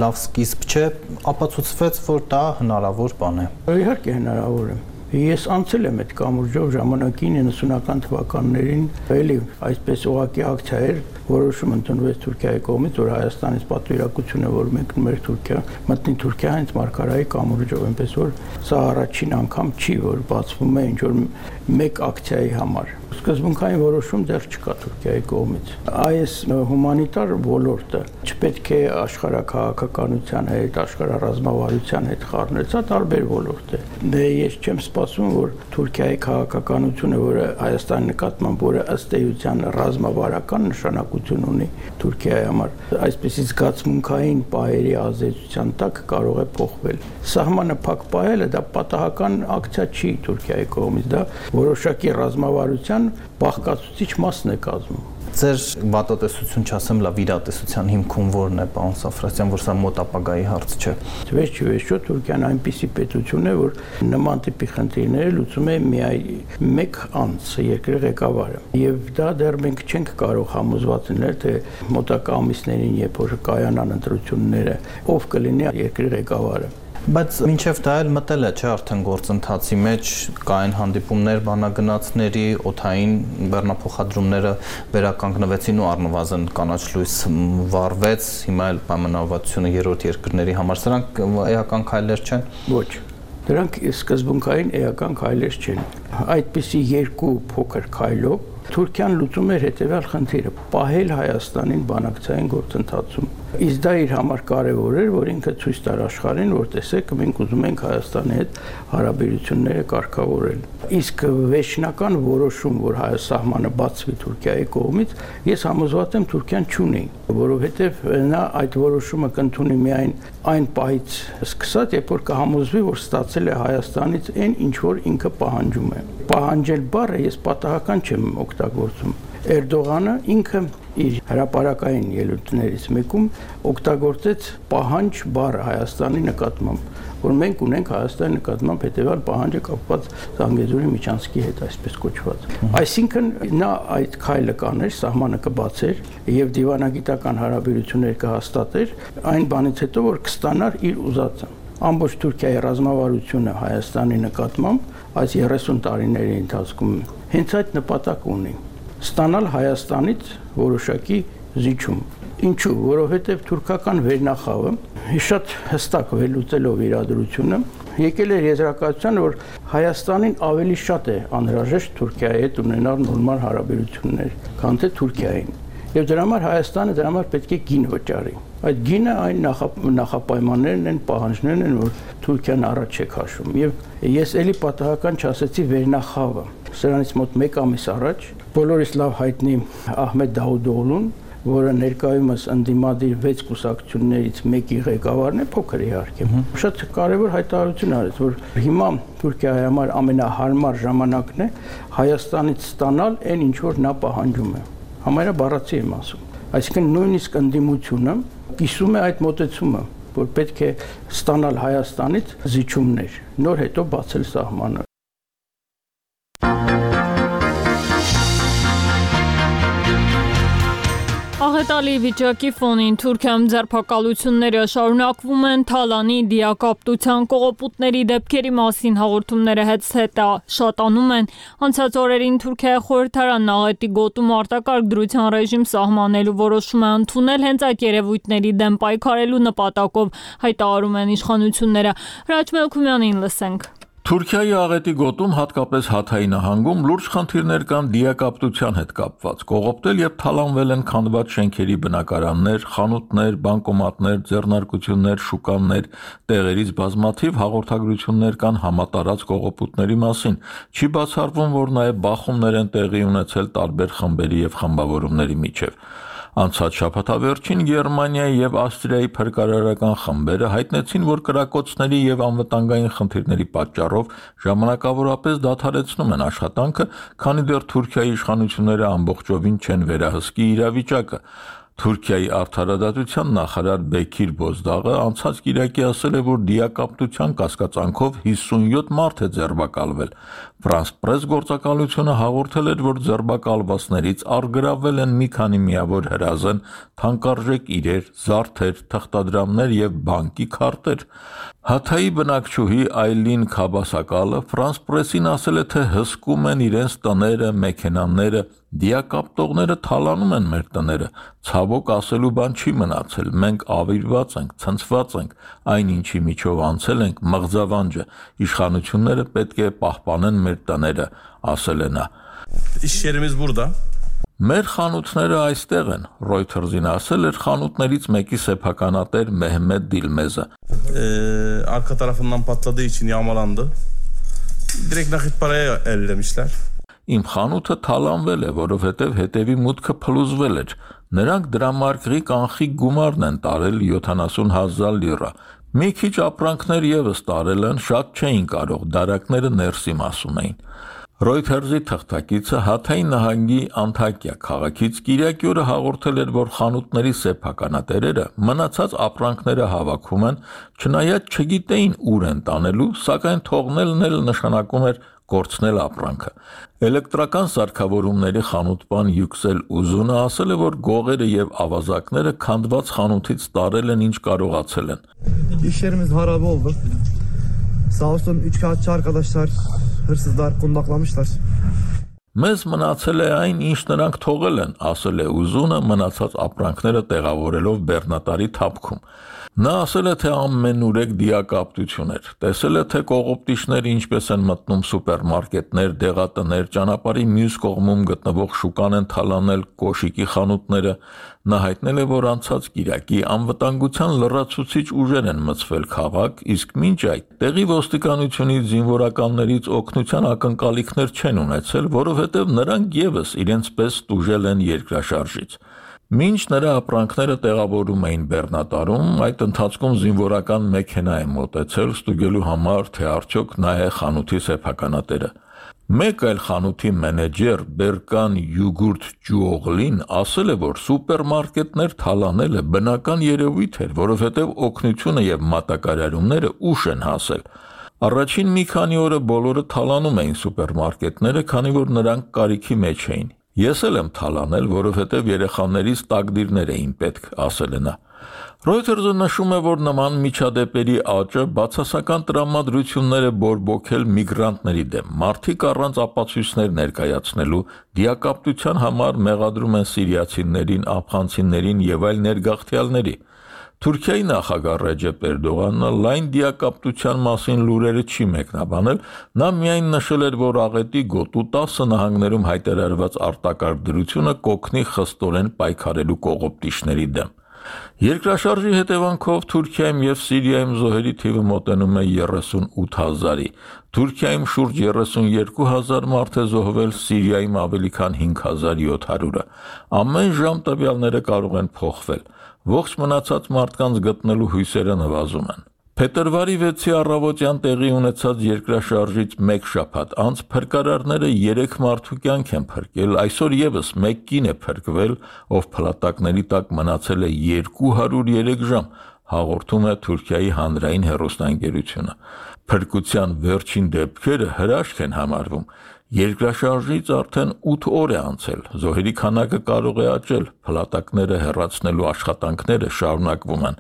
լավ սկիզբ չէ, ապացուցվեց, որ դա հնարավոր բան է։ Իհարկե հնարավոր է։ Ես անցել եմ այդ կամուրջով ժամանակին իննսունական թվականներին, էլի այսպես ուղղակի ակցիա էր, որոշում ընդունվեց Թուրքիայի կողմից, որ Հայաստանից պատվիրակություն է, որ մենք մեր Թուրքիա, մտնի Թուրքիա հենց Մարգարայի կամուրջով, այնպես որ սա առաջին անգամ չի, որ բացվում է ինչ որ մեկ ակցիայի համար։ Սկզբունքային որոշում դեռ չկա Թուրքիայի կողմից։ Այս հումանիտար ոլորտը չպետք է աշխարհակաղակականության հետ, աշխարհառազմավարության հետ խառնել, սա տարբեր ոլորտ է։ Դե ես չեմ սպասում, որ Թուրքիայի քաղաքականությունը, որը Հայաստանի նկատմամբ, որը ըստ էության ռազմավարական նշանակություն ունի Թուրքիայի համար, այսպեսի զգացմունքային պահերի ազդեցության տակ կարող է փոխվել։ Սահմանը փակ պահելը դա պատահական ակցիա չի Թուրքիայի կողմից, դա որոշակի ռազմավարության բաղկացուցիչ մասն է կազմում։ Ձեր վատատեսություն չասեմ, լավ իրատեսության հիմքում որն է, պարոն Սաֆրասյան, որ սա մոտ ապագայի հարց չէ։ Վերջի վերջո Թուրքիան այնպիսի պետություն է, որ նման տիպի խնդիրները լուծում է միայն մեկ անձ, երկրի ղեկավարը։ Եվ դա դեռ մենք չենք կարող համոզված լինել, թե մոտակա ամիսներին, երբ որ կայանան ընտրությունները, ով կլինի երկրի ղեկավարը։ Բայց մինչև դա էլ մտել է, չէ, արդեն գործընթացի մեջ կային հանդիպումներ բանագնացների, օդային բեռնափոխադրումները վերականգնվեցին ու առնվազն կանաչ լույս վառվեց, հիմա էլ պայմանավորվածությունը երրորդ երկրների համար, սրանք էական քայլեր չեն։ Ոչ։ Դրանք սկզբունքային էական քայլեր չեն։ Այդպիսի երկու փոքր քայլով Թուրքիան լուծում էր հետևյալ խնդիրը՝ պահել Հայաստանին բանակցային գործընթացում։ Իսկ դա իր համար կարևոր էր, որ ինքը ցույց տար աշխարհին, որ տեսեք, մենք ուզում ենք Հայաստանի հետ հարաբերությունները կարգավորել։ Իսկ վերջնական որոշում, որ հայ սահմանը բացվի Թուրքիայի կողմից, ես համոզված եմ Թուրքիան չունի, որովհետև նա այդ որոշումը կընդունի միայն այն պահից սկսած, երբ որ կհամոզվի, որ ստացել է Հայաստանից այն, ինչ որ ինքը պահանջում է։ Պահանջել բառը ես պատահական չեմ օգտագործում։ Էրդողանը ինքը իր հրապարակային ելույթներից մեկում օգտագործեց պահանջ բառը Հայաստանի նկատմամբ, որ մենք ունենք Հայաստանի նկատմամբ հետևյալ պահանջը կապված Զանգեզուրի միջանցքի հետ, այսպես կոչված։ Այսինքն նա այդ քայլը կաներ, սահմանը կբացեր եւ դիվանագիտական հարաբերություններ կհաստատեր այն բանից հետո, որ կստանար իր ուզածը։ Ամբողջ Թուրքիայի ռազմավարությունը Հայաստանի նկատմամբ այս երեսուն տարիների ընթացքում հենց այդ նպատակ ունի՝ ստանալ Հայաստանից որոշակի զիջում։ Ինչու՞, որովհետև թուրքական վերնախավը շատ հստակ վերլուծելով իրադրությունը եկել է եզրակացության, որ Հայաստանին ավելի շատ է անհրաժեշտ Թուրքիայի հետ ունենալ նորմալ հարաբերություններ, քան թե Թուրքիային։ Եվ դրա համար Հայաստանը դրա համար պետք է գին վճարի։ Այդ գինը այն նախապայմաններն են, պահանջներն են, որ Թուրքիան առաջ է քաշում։ Եվ ես էլի պատահական չասեցի վերնախավը։ Սրանից մոտ մեկ ամիս առաջ բոլորիս լավ հայտնի Ահմեդ Դավուդօղլուն, որը ներկայումս ընդդիմադիր վեց կուսակցություններից մեկի ղեկավարն է, փոքր իհարկե։ Շատ կարևոր հայտարարություն արեց, որ հիմա Թուրքիայի համար ամենահարմար ժամանակն է Հայաստանից ստանալ այն, ինչ որ նա պահանջում է։ Համարյա բառացի եմ ասում։ Այսինքն նույնիսկ ընդդիմությունը կիսում է այդ մոտեցումը, որ պետք է ստանալ Հայաստանից զիջումներ, նոր հետո բացել սահմանը։ Աղետալի վիճակի ֆոնին Թուրքիայում ձերբակալությունները շարունակվում են, Թալանի դիակապտության կողոպուտների դեպքերի մասին հաղորդումները հետզհետե շատանում են։ Անցած օրերին Թուրքիայի խորհրդարանն աղետի գոտում արտակարգ դրության ռեժիմ սահմանելու որոշում է ընդունել հենց այդ երևույթների դեմ պայքարելու նպատակով, հայտարարում են իշխանությունները։ Հրաչ Մելքումյանին լսենք։ Թուրքիայի աղետի գոտում, հատկապես Հաթայի նահանգում, լուրջ խնդիրներ կան դիակապտության հետ կապված։ Կողոպտել եւ թալանվել են քանդված շենքերի բնակարաններ, խանութներ, բանկոմատներ, ձեռնարկություններ, շուկաներ, տեղերից բազմաթիվ հաղորդագրություններ կան համատարած կողոպուտների մասին։ Չի բացառվում, որ նաեւ բախումներ են տեղի ունեցել տարբեր խմբերի եւ խմբավորումների միջեւ։ Անցած շաբաթավերջին Գերմանիայի եւ Ավստրիայի փրկարարական խմբերը հայտնեցին, որ կրակոցների եւ անվտանգային խնդիրների պատճառով ժամանակավորապես դադարեցնում են աշխատանքը, քանի դեռ Թուրքիայի իշխանությունները ամբողջովին չեն վերահսկի իրավիճակը։ Թուրքիայի արդարադատության նախարար Բեկիր Բոզդաղը անցած կիրակի ասել է, որ դիակապտության կասկածանքով հիսունյոթ մարդ է ձերբակալվել։ France Press գործակալությունը հաղորդել էր, որ ձերբակալվածներից առգրավել են մի քանի միավոր հրազեն, թանկարժեք իրեր, զարդեր, թղթադրամներ եւ բանկի քարտեր։ Հաթայի բնակչուհի Այլին Քաբասակալը France Press-ին ասել է, թե հսկում են իրենց տները, մեքենաները, դիակապտողները թալանում են մեր տները, ցավոք ասելու բան չի մնացել, մենք ավիրված ենք, ցնցված ենք, այն ինչի միջով անցել ենք մղձավանջը, իշխանությունները պետք է պահպանեն մեր տները, ասել է նա։ İş yerimiz burada. Մեր խանութները այստեղ են, Reuters-ին ասել էր խանութներից մեկի սեփականատեր Մեհմեդ Դիլմեզը։ Ee, arka tarafından patladığı için yağmalandı. Direkt nakit paraya ellemişler. Իմ խանութը թալանվել է, որովհետև հետևի մուտքը փլուզվել էր։ Նրանք դրամարկղի կանխիկ գումարն են տարել յոթանասուն հազար լիրա։ Մի քիչ ապրանքներ եւս տարել են, շատ չէին կարող, դարակները ներսի մասում էին։ Reuters-ի թղթակիցը Հաթայի նահանգի Անտակիա քաղաքից կիրակի օրը հաղորդել էր, որ խանութների սեփականատերերը մնացած ապրանքները հավաքում են, չնայած չգիտեին ուր են տանելու, սակայն թողնելն էլ նշանակում էր կորցնել ապրանքը։ Էլեկտրական սարքավորումների խանութպան Յուքսել Ուզունը ասել է, որ գողերը եւ ավազակները քանդված խանութից տարել են ինչ կարողացել են։ İş yerimiz harabe oldu. Sağ olsun üç kağıtçı arkadaşlar, hırsızlar kundaklamışlar. Մեզ մնացել է այն, ինչ նրանք թողել են, ասել է Ուզունը մնացած ապրանքները տեղավորելով բեռնատարի թափքում։ Նա ասել է, թե ամենուրեք դիակապտություն էր։ Տեսել է, թե կողոպտիչները ինչպես են մտնում սուպերմարկետներ, դեղատներ, ճանապարհի մյուս կողմում գտնվող շուկան են թալանել կոշիկի խանութները։ Նա հայտնել է, որ անցած կիրակի անվտանգության լրացուցիչ ուժեր են մտցվել քաղաք, իսկ մինչ այդ տեղի ոստիկանությունից զինվորականներից օգնության ակնկալիքներ չեն ունեցել, որովհետև նրանք եւս իրենց պես տուժել են երկրաշարժից։ Մինչ նրա ապրանքները տեղավորում էին բեռնատարում, այդ ընթացքում զինվորական մեքենա է մոտեցել ստուգելու համար, թե արդյոք նա է խանութի սեփականատերը։ Մեկ այլ խանութի մենեջեր Բերկան Յուգուրտ Ջուօղլին ասել է, որ սուպերմարկետներ թալանելը բնական երևույթ էր, որովհետև օգնությունը եւ մատակարարումները ուշ են հասել։ Առաջին մի քանի օրը բոլորը թալանում էին սուպերմարկետները, քանի որ նրանք կարիքի մեջ էին։ Ես էլ եմ թալանել, որովհետև երեխաներից տակդիրներ էին պետք, ասել է նա։ Reuters-ը նշում է, որ նման միջադեպերի աճը բացասական տրամադրություններ է բորբոքել միգրանտների դեմ։ Մարդիկ առանց ապացույցներ ներկայացնելու դիակապտության համար մեղադրում են սիրիացիներին, աֆղանցիներին եւ այլ ներգաղթյալների։ Թուրքիայի նախագահ Ռեջեփ Էրդողանը լայն դիակապտության մասին լուրերը չի մեկնաբանել, նա միայն նշել էր, որ աղետի գոտու տասը նահանգներում հայտարարված արտակարգ դրությունը կօգնի խստորեն պայքարելու կողոպտիչների դեմ։ Երկրաշարժի հետևանքով Թուրքիայում եւ Սիրիայում զոհերի թիվը մոտենում է երեսունութ հազարի։ Թուրքիայում շուրջ երեսունյոթ հազար մարդ է զոհվել, Սիրիայում ավելի քան հինգ հազար յոթ հարյուրը։ Ամեն ժամ տվյալները կարող են փոխվել։ Ողջ մնացած մարդկանց գտնելու հույսերը նվազում են։ Փետրվարի վեցի առավոտյան տեղի ունեցած երկրաշարժից մեկ շաբաթ անց փրկարարները երեք մարդու կյանք են փրկել, այսօր եւս մեկ կին է փրկվել, ով փլատակների տակ մնացել է երկու հարյուր երեք ժամ, հաղորդում է Թուրքիայի հանրային հեռուստաընկերությունը։ Փրկության վերջին դեպքերը հրաշք են համարվում։ Երկրաշարժից արդեն ութ օր է անցել, զոհերի քանակը կարող է աճել, փլատակները հեռացնելու աշխատանքները շարունակվում են։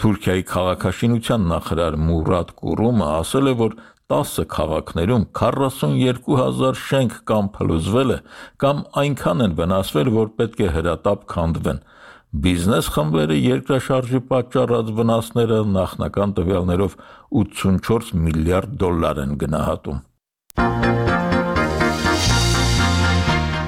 Թուրքիայի քաղաքաշինության նախարար Մուրադ Կուրումը ասել է, որ տասը քաղաքներում քառասունյոթ հազար շենք կամ փլուզվել է, կամ այնքան են վնասվել, որ պետք է հրատապ քանդվեն։ Բիզնես խմբերը երկրաշարժի պատճառած վնասները նախնական տվյալներով ութսունչորս միլիարդ դոլար են գնահատում։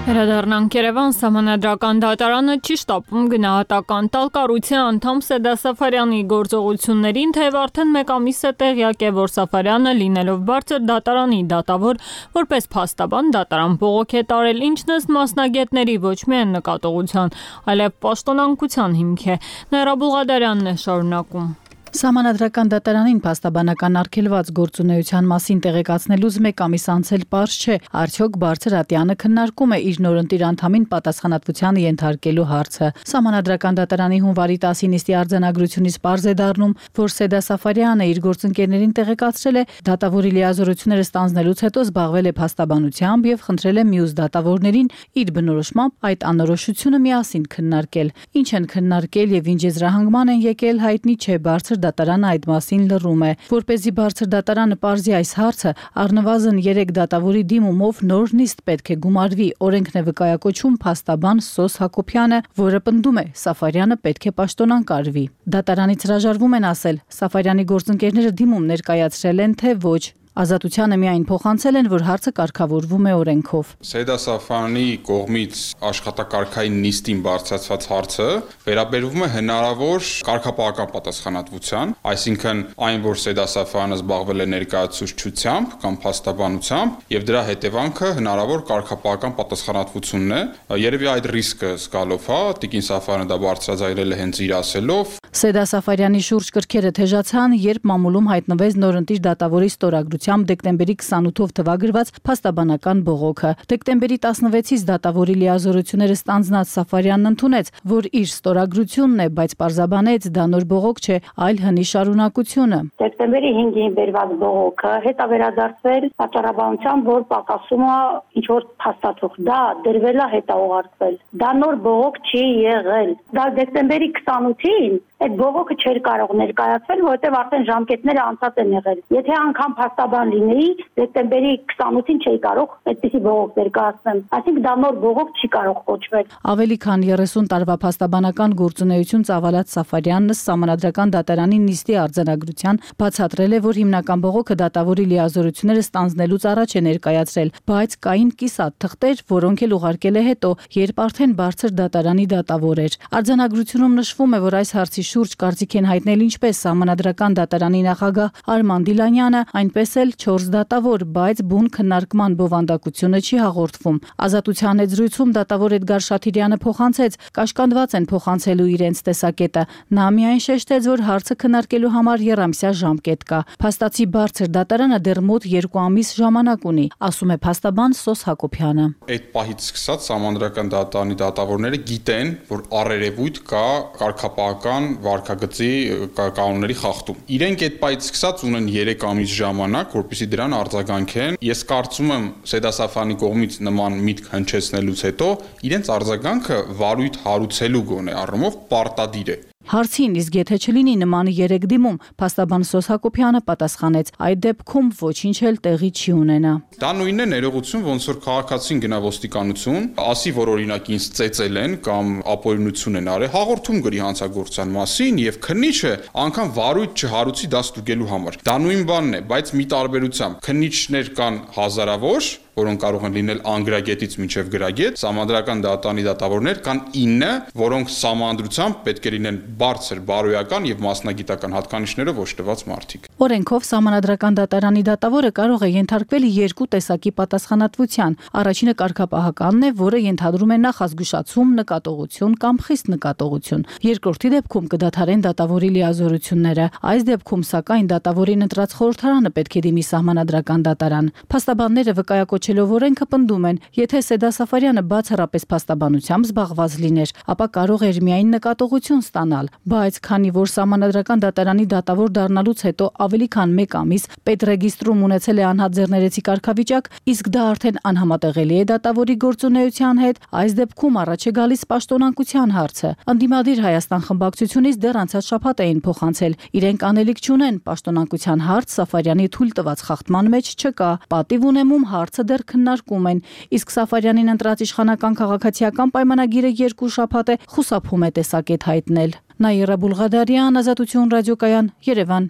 Վերադառնանք Երևան, Սահմանադրական դատարանը չի շտապում գնահատական տալ կառույցի անդամ Սեդա Սաֆարյանի գործողություններին, թեև արդեն մեկ ամիս է տեղյակ է, որ Սաֆարյանը լինելով բարձր դատարանի դատավոր, որպես փաստաբան դատարան բողոք է տարել, ինչն ըստ մասնագետների ոչ միայն նկատողության, այլև պաշտոնանկության հիմք է։ Նաիրա Բուլղադարյանն է շարունակում։ Սահմանադրական դատարանին փաստաբանական արգելված գործունեության մասին տեղեկացնելուց մեկ ամիս անցել պարզ չէ, արդյոք Բարձր Ատյանը քննարկում է իր նորընտիր անդամին պատասխանատվության ենթարկելու հարցը։ Սահմանադրական դատարանի հունվարի տասին նիստի արձանագրությունից պարզ է դառնում, որ Սեդա Սաֆարյանը իր գործընկերներին տեղեկացրել է դատավորի լիազորությունները ստանձնելուց հետո զբաղվել է փաստաբանությամբ եւ խնդրել է մյուս դատավորներին իր բնորոշմամբ այդ անորոշությունը միասին քննարկել։ Ինչ են քննարկել եւ ինչ եզրահանգման են եկել հայտնի չէ, Բարձր դատարանը այդ մասին լռում է։ Որպեսզի Բարձր դատարանը պարզի այս հարցը, առնվազն երեք դատավորի դիմումով նոր նիստ պետք է գումարվի, օրենքն է վկայակոչում փաստաբան Սոս Հակոբյանը, որը պնդում է Սաֆարյանը պետք է պաշտոնակարվի։ Դատարանից հրաժարվում են ասել, Սաֆարյանի գործընկերները դիմում ներկայացրել են, թե ոչ։ Ազատությանը միայն փոխանցել են, որ հարցը կարգավորվում է օրենքով։ Սեդա Սաֆարյանի կողմից աշխատակարգային նիստին բարձրացված հարցը վերաբերվում է հնարավոր կարգապահական պատասխանատվության, այսինքն այն, որ Սեդա Սաֆարյանը զբաղվել է ներկայացուցչությամբ կամ փաստաբանությամբ եւ դրա հետևանքը հնարավոր կարգապահական պատասխանատվությունն է։ Երևի այդ ռիսկը զգալով, հա, Տիկին Սաֆարյանը դա բարձրաձայնել է հենց իր ասելով։ Սեդա Սաֆարյանի շուրջ կրքերը թեժացան, երբ մամուլում հայտնվեց նորընտիր դատավորի ստորագրությամբ դեկտեմբերի քսանութով թվագրված փաստաբանական բողոքը։ Դեկտեմբերի տասնվեցից դատավորի լիազորությունները ստանձնած Սաֆարյանն ընդունեց, որ իր ստորագրությունն է, բայց պարզաբանեց դա նոր բողոք չէ, այլ հնի շարունակությունը։ Դեկտեմբերի հինգին բերված բողոքը հետա վերադարձվել պատճառաբանությամբ, որ պակասում է ինչ որ փաստաթուղթ, դա դրվել է հետա ուղարկվել։ Դա նոր բողոք չի եղել։ Դա դեկտեմբերի քսանութին այդ բողոքը չէր կարող ներկայացվել, որովհետև արդեն ժամկետները անցած են եղել։ Եթե անգամ փաստաբան լինեի, դեկտեմբերի քսանութին չէի կարող այդպիսի բողոք ներկայացնել։ Այսինքն դա նոր բողոք չի կարող կոչվել։ Ավելի քան երեսուն տարվա փաստաբանական գործունեություն ծավալած Սաֆարյանն Սահմանադրական դատարանի նիստի արձանագրության բացատրել է, որ հիմնական բողոքը դատավորի լիազորությունները ստանձնելուց առաջ է ներկայացրել, բայց կային կիսատ թղթեր, որոնք էլ ուղարկել է հետո, երբ արդեն Բարձր դատարանի դատավոր էր։ Արձանագրությունում նշվում է, որ այս հարցի շուրջ կարծիք են հայտնել ինչպես Սահմանադրական դատարանի նախագահ Արման Դիլանյանը, այնպես էլ չորս դատավոր, բայց բուն քննարկման բովանդակությունը չի հաղորդվում։ Ազատության հետ զրույցում դատավոր Էդգար Շաթիրյանը փոխանցեց, կաշկանդված են փոխանցելու իրենց տեսակետը։ Նա միայն շեշտեց, որ հարցը քննարկելու համար եռամսյա ժամկետ կա։ Փաստացի Բարձր դատարանը դեռ մոտ երկու ամիս ժամանակ ունի, ասում է փաստաբան Սոս Հակոբյանը։ Այդ պահից սկսած Սահմանադրական դատարանի դատավորները գիտեն, որ առերևույթ կա կարգապահական վարքագծի կանոնների խախտում։ Իրենք այդ պահից սկսած ունեն երեք ամիս ժամանակ, որպեսզի դրան արձագանքեն։ Ես կարծում եմ Սեդա Սաֆարյանի կողմից նման միտք հնչեցնելուց հետո իրենց արձագանքը վարույթ հարուցելու գոնե առումով պարտադիր է։ Հարցին, իսկ եթե չլինի նման երեք դիմում, փաստաբան Սոս Հակոբյանը պատասխանեց, այդ դեպքում ոչինչ էլ տեղի չի ունենա։ Դա նույնն է ներողություն, ոնց որ քաղաքացին գնա ոստիկանություն, ասի, որ օրինակ ինձ ծեծել են կամ ապօրինություն են արել, հաղորդում գրի հանցագործության մասին եւ քննիչը անգամ վարույթ չհարուցի դա ստուգելու համար։ Դա նույն բանն է, բայց մի տարբերությամբ քննիչներ կան հազարավոր, որոնք կարող են լինել անգրագետից մինչև գրագետ, Սահմանադրական դատարանի դատավորներ կան ինը, որոնք սահմանադրությամբ պետք է լինեն բարձր բարոյական եւ մասնագիտական հատկանիշներով օժտված մարդիկ։ Օրենքով Սահմանադրական դատարանի դատավորը կարող է ենթարկվել երկու տեսակի պատասխանատվության։ Առաջինը կարգապահականն է, որը ենթադրում է նախազգուշացում, նկատողություն կամ խիստ նկատողություն։ Երկրորդի դեպքում կդադարեն դատավորի լիազորությունները։ Այս դեպքում սակայն դատավորին ընտրած խորհրդարանը պետք է դիմի Սահմանադրական դատարան։ Փաստաբանները վկայակոչելով օրենքը պնդում են, եթե Սեդա Սաֆարյանը բացառապես փաստաբանությամբ զբաղված լիներ, ապա կարող էր միայն նկատողություն ստանալ, բայց քանի որ Սահմանադրական դատարանի դատավոր դառնալուց հետո ավելի քան մեկ ամիս պետրեգիստրում ունեցել է անհատ ձեռներեցի կարգավիճակ, իսկ դա արդեն անհամատեղելի է դատավորի գործունեության հետ, այս դեպքում առաջ է գալիս պաշտոնակության հարցը։ Անդիմադիր Հայաստան խմբակցությունից դեռ անցած շաբաթ էին փոխանցել, իրենք անելիք չունեն, պաշտոնակության հարց Սաֆարյանի թույլ տված խախտման մեջ չկա, պատիվ ունեմում հարցը դեռ քննարկում են, իսկ Սաֆարյանին ընտրած իշխանական քաղաքացիական պայմանագիրը երկու շաբաթ է խուսափում է տեսակետ հայտնել։ Նաիրա Բուլղադարյան, Ազատություն ռադիոկայան, Երևան։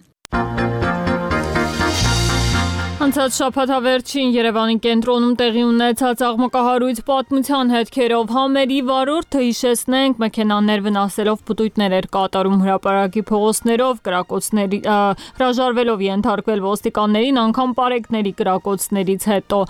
Անցած շաբաթավերջին Երևանի կենտրոնում տեղի ունեցած աղմկահարույց պատմության հետքերով համերի վարորդը հիշեցնենք մեքենաներ վնասելով պտույտներ էր կատարում հրապարակի փողոցներով, կրակոցների հրաժարվելով ենթարկվել ոստիկաններին անգամ պարեկների կրակոցներից հետո։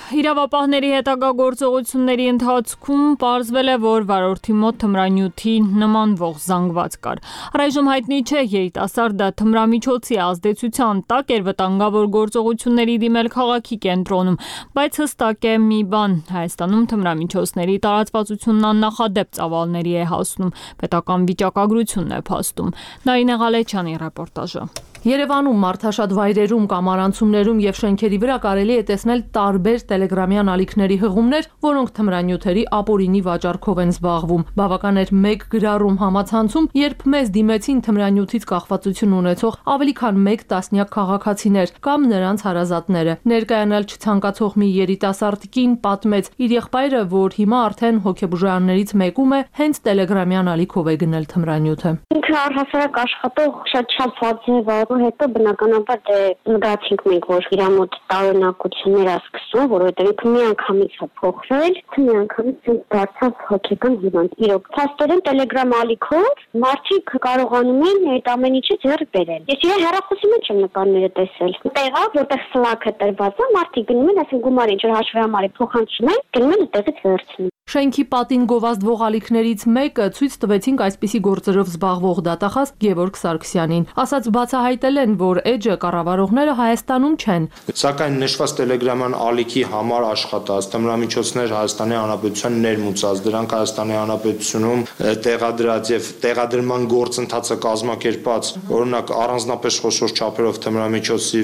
Իրավապահների հետագա գործողությունների ընթացքում պարզվել է, որ վարորդի մոտ թմրանյութի նմանվող զանգված կար։ Առայժմ հայտնի չէ երիտասարդը թմրամիջոցի ազդեցության տակ էր վտանգավոր գործողությունների դիմել քաղաքի կենտրոնում, բայց հստակ է մի բան՝ Հայաստանում թմրամիջոցների տարածվածությունն աննախադեպ ծավալների է հասնում, պետական վիճակագրությունն է փաստում։ Նարինե Ղալեչյանի ռեպորտաժը։ Երևանում մարդաշատ վայրերում, կամարանցումներում եւ շենքերի վրա կարելի է տեսնել տարբեր տելեգրամյան ալիքների հղումներ, որոնք թմրանյութերի ապօրինի վաճառքով են զբաղվում։ Բավական էր մեկ գրառում համացանցում, երբ մեզ դիմեցին թմրանյութից կախվածություն ունեցող ավելի քան մեկ տասնյակ քաղաքացիներ կամ նրանց հարազատները։ Ներկայանալ չցանկացող մի երիտասարդ կին պատմեց իր եղբայրը, որ հիմա արդեն հոգեբուժարաններից մեկում է, հենց տելեգրամյան ալիքով է գնել թմրանյութը։ Ինքը առհասարակ աշխատող շատ շփված է, հետո բնականաբար դե զգացինք մենք, որ իր մոտ տարօրինակություններ է սկսում, որովհետև ինքը մի անգամից է փոխվել, մի անգամից դարձավ հոգեկան հիվանդ։ Իրոք, փաստորեն Telegram ալիքով մարդիկ կարողանում են այդ ամեն ինչը ձեռք բերել։ Ես իր հեռախոսի մեջ եմ նկարները տեսել։ Տեղա, որտեղ Slack-ը տրված է, մարդիկ գնում են, ասեն գումարի ջր հաշվի համար փոխանցում են, գնում են այդտեղից վերցնում։ Շենքի պատին գովազդվող ալիքներից մեկը ցույց տվեցինք այսպիսի գործերով զբաղվող դատախազ Գևորգ Սարգսյանին։ Ասաց բացահայտել են, որ էջը կառավարողները Հայաստանում չեն։ Սակայն նշված տելեգրաման ալիքի համար աշխատած թմրամիջոցներ Հայաստանի Հանրապետության ներմուծած, դրանք Հայաստանի Հանրապետությունում տեղադրած եւ տեղադրման գործընթացը կազմակերպած, օրինակ առանձնապես խոշոր չափերով թմրամիջոցի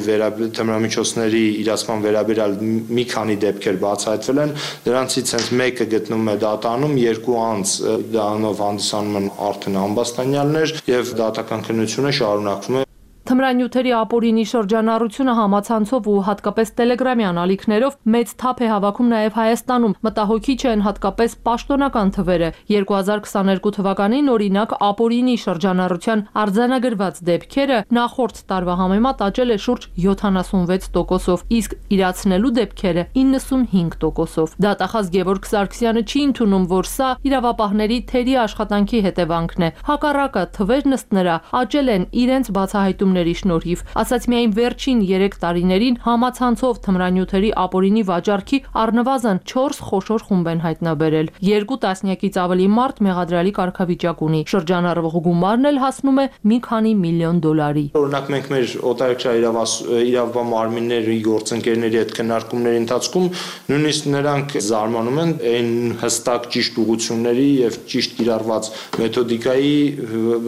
թմրամիջոցների իրացման վերաբերյալ մի քանի դեպքեր բացահայտվել են, դրանցից հենց մեկը գտնում է դատանում, երկու անձ դրանով հանդիսանում են արդեն ամբաստանյալներ եւ դատական քննությունը շարունակվում է։ Թմրանյութերի ապօրինի շրջանառությունը համացանցով ու հատկապես տելեգրամյան ալիքներով մեծ թափ է հավաքում նաև Հայաստանում։ Մտահոգիչ են հատկապես պաշտոնական թվերը։ երկու հազար քսաներկու թվականին օրինակ ապօրինի շրջանառության արձանագրված դեպքերը նախորդ տարվա համեմատ աճել է շուրջ յոթանասունվեց տոկոսով, իսկ իրացնելու դեպքերը իննսունհինգ տոկոսով։ Դատախազ Գևորգ Սարգսյանը չի ընդունում, որ սա իրավապահների թերի աշխատանքի հետևանքն է։ Հակառակը թվերն ըստ նրա աճել են իրենց բացահայտում շնորհիվ, ասաց միայն վերջին երեք տարիներին համացանցով թմրանյութերի ապօրինի վաճառքի առնվազն չորս խոշոր խումբ են հայտնաբերել։ Երկու տասնյակից ավելի մարդ մեղադրալի կարգավիճակ ունի։ Շրջանառվող գումարն էլ հասնում է մի քանի միլիոն դոլարի։ Օրինակ մենք մեր օտարերկրյա իրավապահ մարմինների գործընկերների հետ քննարկումների ընթացքում նույնիսկ նրանք զարմանում են այն հստակ ճիշտ ուղղությունների եւ ճիշտ կիրառված մեթոդիկայի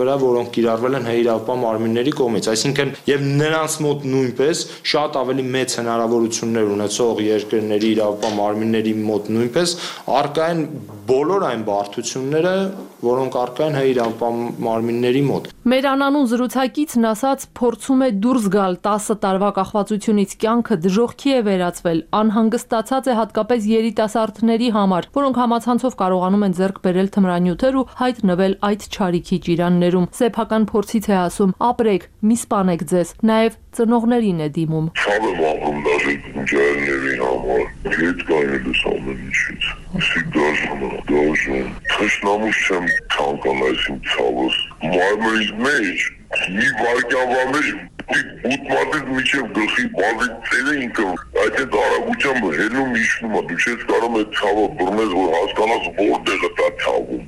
վրա, որոնք կիրառվել են իրավապահ մարմինների կողմից։ Այսինքն եւ նրանց մոտ նույնպես շատ ավելի մեծ հնարավորություններ ունեցող երկրների իրավապահ մարմինների մոտ նույնպես առկա են բոլոր այն բարդությունները, որոնք առկա են իրավապահ մարմինների մոտ։ Մեր անանուն զրուցակիցն ասաց, փորձում է դուրս գալ տասը տարվա կախվածությունից, կյանքը դժոխքի է վերածվել, անհանգստացած է հատկապես երիտասարդների համար, որոնք համացանցով կարողանում են ձեռք բերել թմրանյութեր ու հայտնվել այդ չարիքի ճիրաններում։ Սեփական փորձից է ասում, ապրեք, մի սպանեք ձեզ, նաև ծնողներին է դիմում։ Ցավ եմ ապրում դաժե ջայրների համար, հետ կայնելուս ամեն ինչից։ Իսի դաժում, դաժում, թշնամուս չեմ թանկանայս իմ ցավս։ Մարմերից մեջ, մի վարկյանվա մեջ, ուտմատից միջև գլխի բազիկ ծերը ինքը, այդ այդ արագությամբ հելում իշնում է, դու չես կարող այդ ցավը բռնես, որ հասկանաս որտեղ է դա ցավում,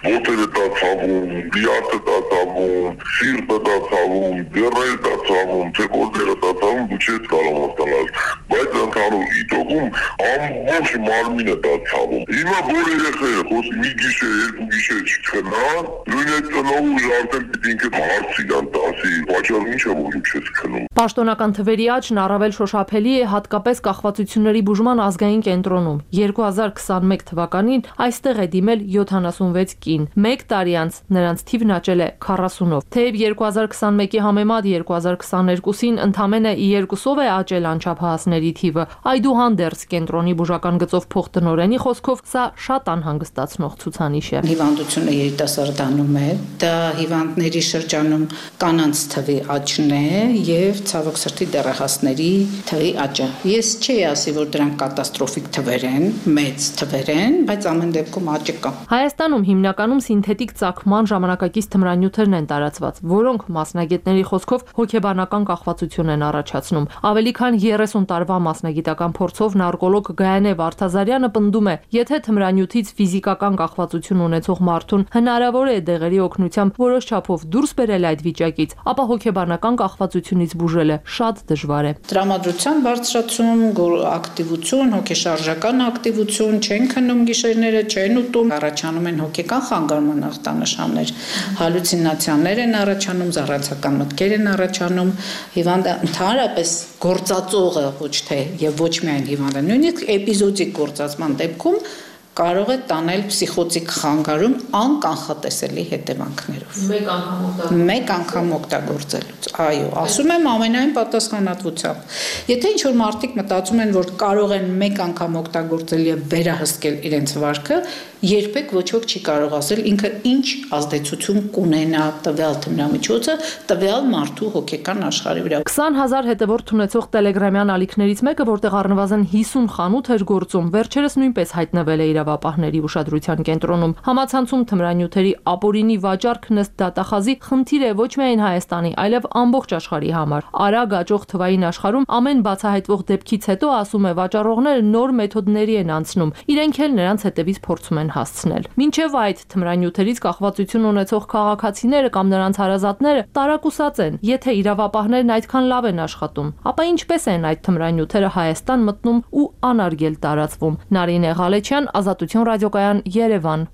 ոտերը դա ցավում, բիաթը դա ցավում, սիրտը դա ցավում, դերերը դա ցավում, թե որտեղ է դա ցավում, դու չես կարող հասկանալ, բայց ընդհանուր իտոգում ամբողջ մարմինը դա ցավում։ Հիմա որ երեխերը խոսի մի գիշեր, երկու գիշեր չքնա, նույն այդ ծնողը արդեն պիտի ինքը հարցի դան տասի, վաճառ ինչ է որ չես քնում։ Պաշտոնական թվերի աճն առավել շոշափելի է հատկապես կախվածությունների բուժման ազգային կենտրոնում։ երկու հազար քսանմեկ թվականին այստեղ է դիմել յոթանասունվեց կին։ Մեկ տարի անց նրանց թիվն աճել է քառասունով։ Թեև երկու հազար քսանմեկի համեմատ երկու հազար քսաներկուսին ընդամենը երկուսով է աճել անչափահասների թիվը, այդուհանդերձ կենտրոնի բուժական գծով փոխտնօրենի խոսքով սա շատ անհանգստացնող ցուցանիշ է։ Հիվանդությունը երիտասարդանում է, դա հիվանդների շրջանում կանանց թվի աճն է եւ ցավոք սրտի դեռահասների թվի աճը։ Ես չի ասի, ասի, որ դրանք կատաստրոֆիկ թվեր են, մեծ թվեր են, բայց ամեն դեպքում աճ կա։ Հայաստանում հիմնականում սինթետիկ ծագման ժամանակակից թմրանյութերն են տարածված, որոնք մասնագետների խոսքով հոգեբանական կախվածություն են առաջացնում։ Ավելի քան երեսուն տարվա մասնագիտական փորձով նարկոլոգ Գայանե Վարդազարյանը պնդում է, եթե թմրանյութից ֆիզիկական կախվածություն ունեցող մարդուն հնարավոր է դեղերի օգնությամբ որոշ չափով դուրս բերել այդ վիճակից, ապա հոգեբանական կախվածությունից բուժելը շատ դժվար է։ Տրամադրության բարձրացում, ակտիվություն, հոգեշարժական ակտիվություն, չեն քնում գիշերները, չեն ուտում, առաջանում են հոգեկան խանգարման ախտանշաններ, հալյուցինացիաներ են առաջանում, զառացական մտքեր են առաջանում, հիվանդը ընդհանրապես գործածողը ոչ թե եւ ոչ միայն հիվանդը, նույնիսկ էպիզոդիկ գործածման դեպքում կարող է տանել պսիխոտիկ խանգարում անկանխատեսելի հետևանքներով։ Մեկ անգամ օգտագործել։ Մեկ անգամ օգտագործելուց։ Այո, ասում եմ ամենայն պատասխանատվությամբ։ Եթե ինչ-որ մարդիկ մտածում են, որ կարող են մեկ անգամ օգտագործել եւ վերահսկել իրենց վարքը, երբեք ոչ ոք չի կարող ասել ինքը ինչ ազդեցություն կունենա տվյալ թմրամիջոցը տվյալ մարդու հոգեկան աշխարհի վրա։ քսան հազար հետևորդ ունեցող տելեգրամյան ալիքներից մեկը, որտեղ առնվազն հիսուն խանութ էր գործում, վերջերս նույնպես հայտնվել է իրավապահների ուշադրության կենտրոնում։ Համացանցում թմրանյութերի ապօրինի վաճառքն ըստ դատախազի խնդիր է ոչ միայն Հայաստանի, այլև ամբողջ աշխարհի համար։ Արագ աճող թվային աշխարհում ամեն բացահայտվող դեպքից հետո, ասում է, վաճառողները նոր մեթոդների են անցնում, իրենք էլ նրանց հետևից փորձում են հասցնել։ Մինչև այդ թմրանյութերից կախվածություն ունեցող քաղաքացիները կամ նրանց հարազատները տարակուսած են, եթե իրավապահներն այդքան լավ են աշխատում, ապա ինչպես են այդ թմրանյութերը Հայաստան մտնում ու անարգել տարածվում։ Նարինե Ղալեչյան, Ազատություն ռադիոկայան, Երևան։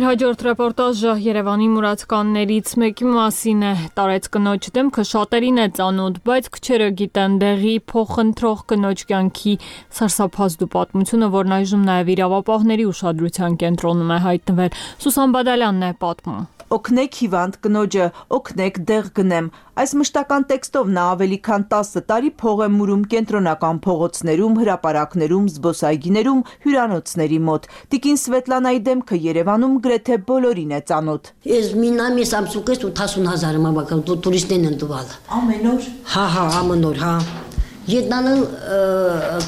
Հաջորդ ռեպորտաժը Երևանի մուրացկաններից մեկի մասին է։ Տարեց կնոջ դեմքը շատերին է ծանոթ, բայց քչերը գիտեն դեղի փոխընտրող կնոջ կյանքի սարսափազդու պատմությունը, որն այժմ նաև իրավապահների ուշադրության կենտրոնում է հայտնվել։ Սուսան Բադալյանն է պատմում։ Օգնեք հիվանդ կնոջը, օգնեք դեղ գնեմ։ Այս մշտական տեքստով նա ավելի քան տասը տարի փող է մուրում կենտրոնական փողոցներում, հրապարակներում, զբոսայգիներում, հյուրանոցների մոտ։ Տիկին Սվետլանայի դեմքը Երևանում գրեթե բոլորին է ծանոթ։ Ես մինամի Samsung-ից ութասուն հազար մաբակա տուրիստներն են տվալ։ Ամեն օր։ Հա, հա, ամեն օր, հա։ Յետնանը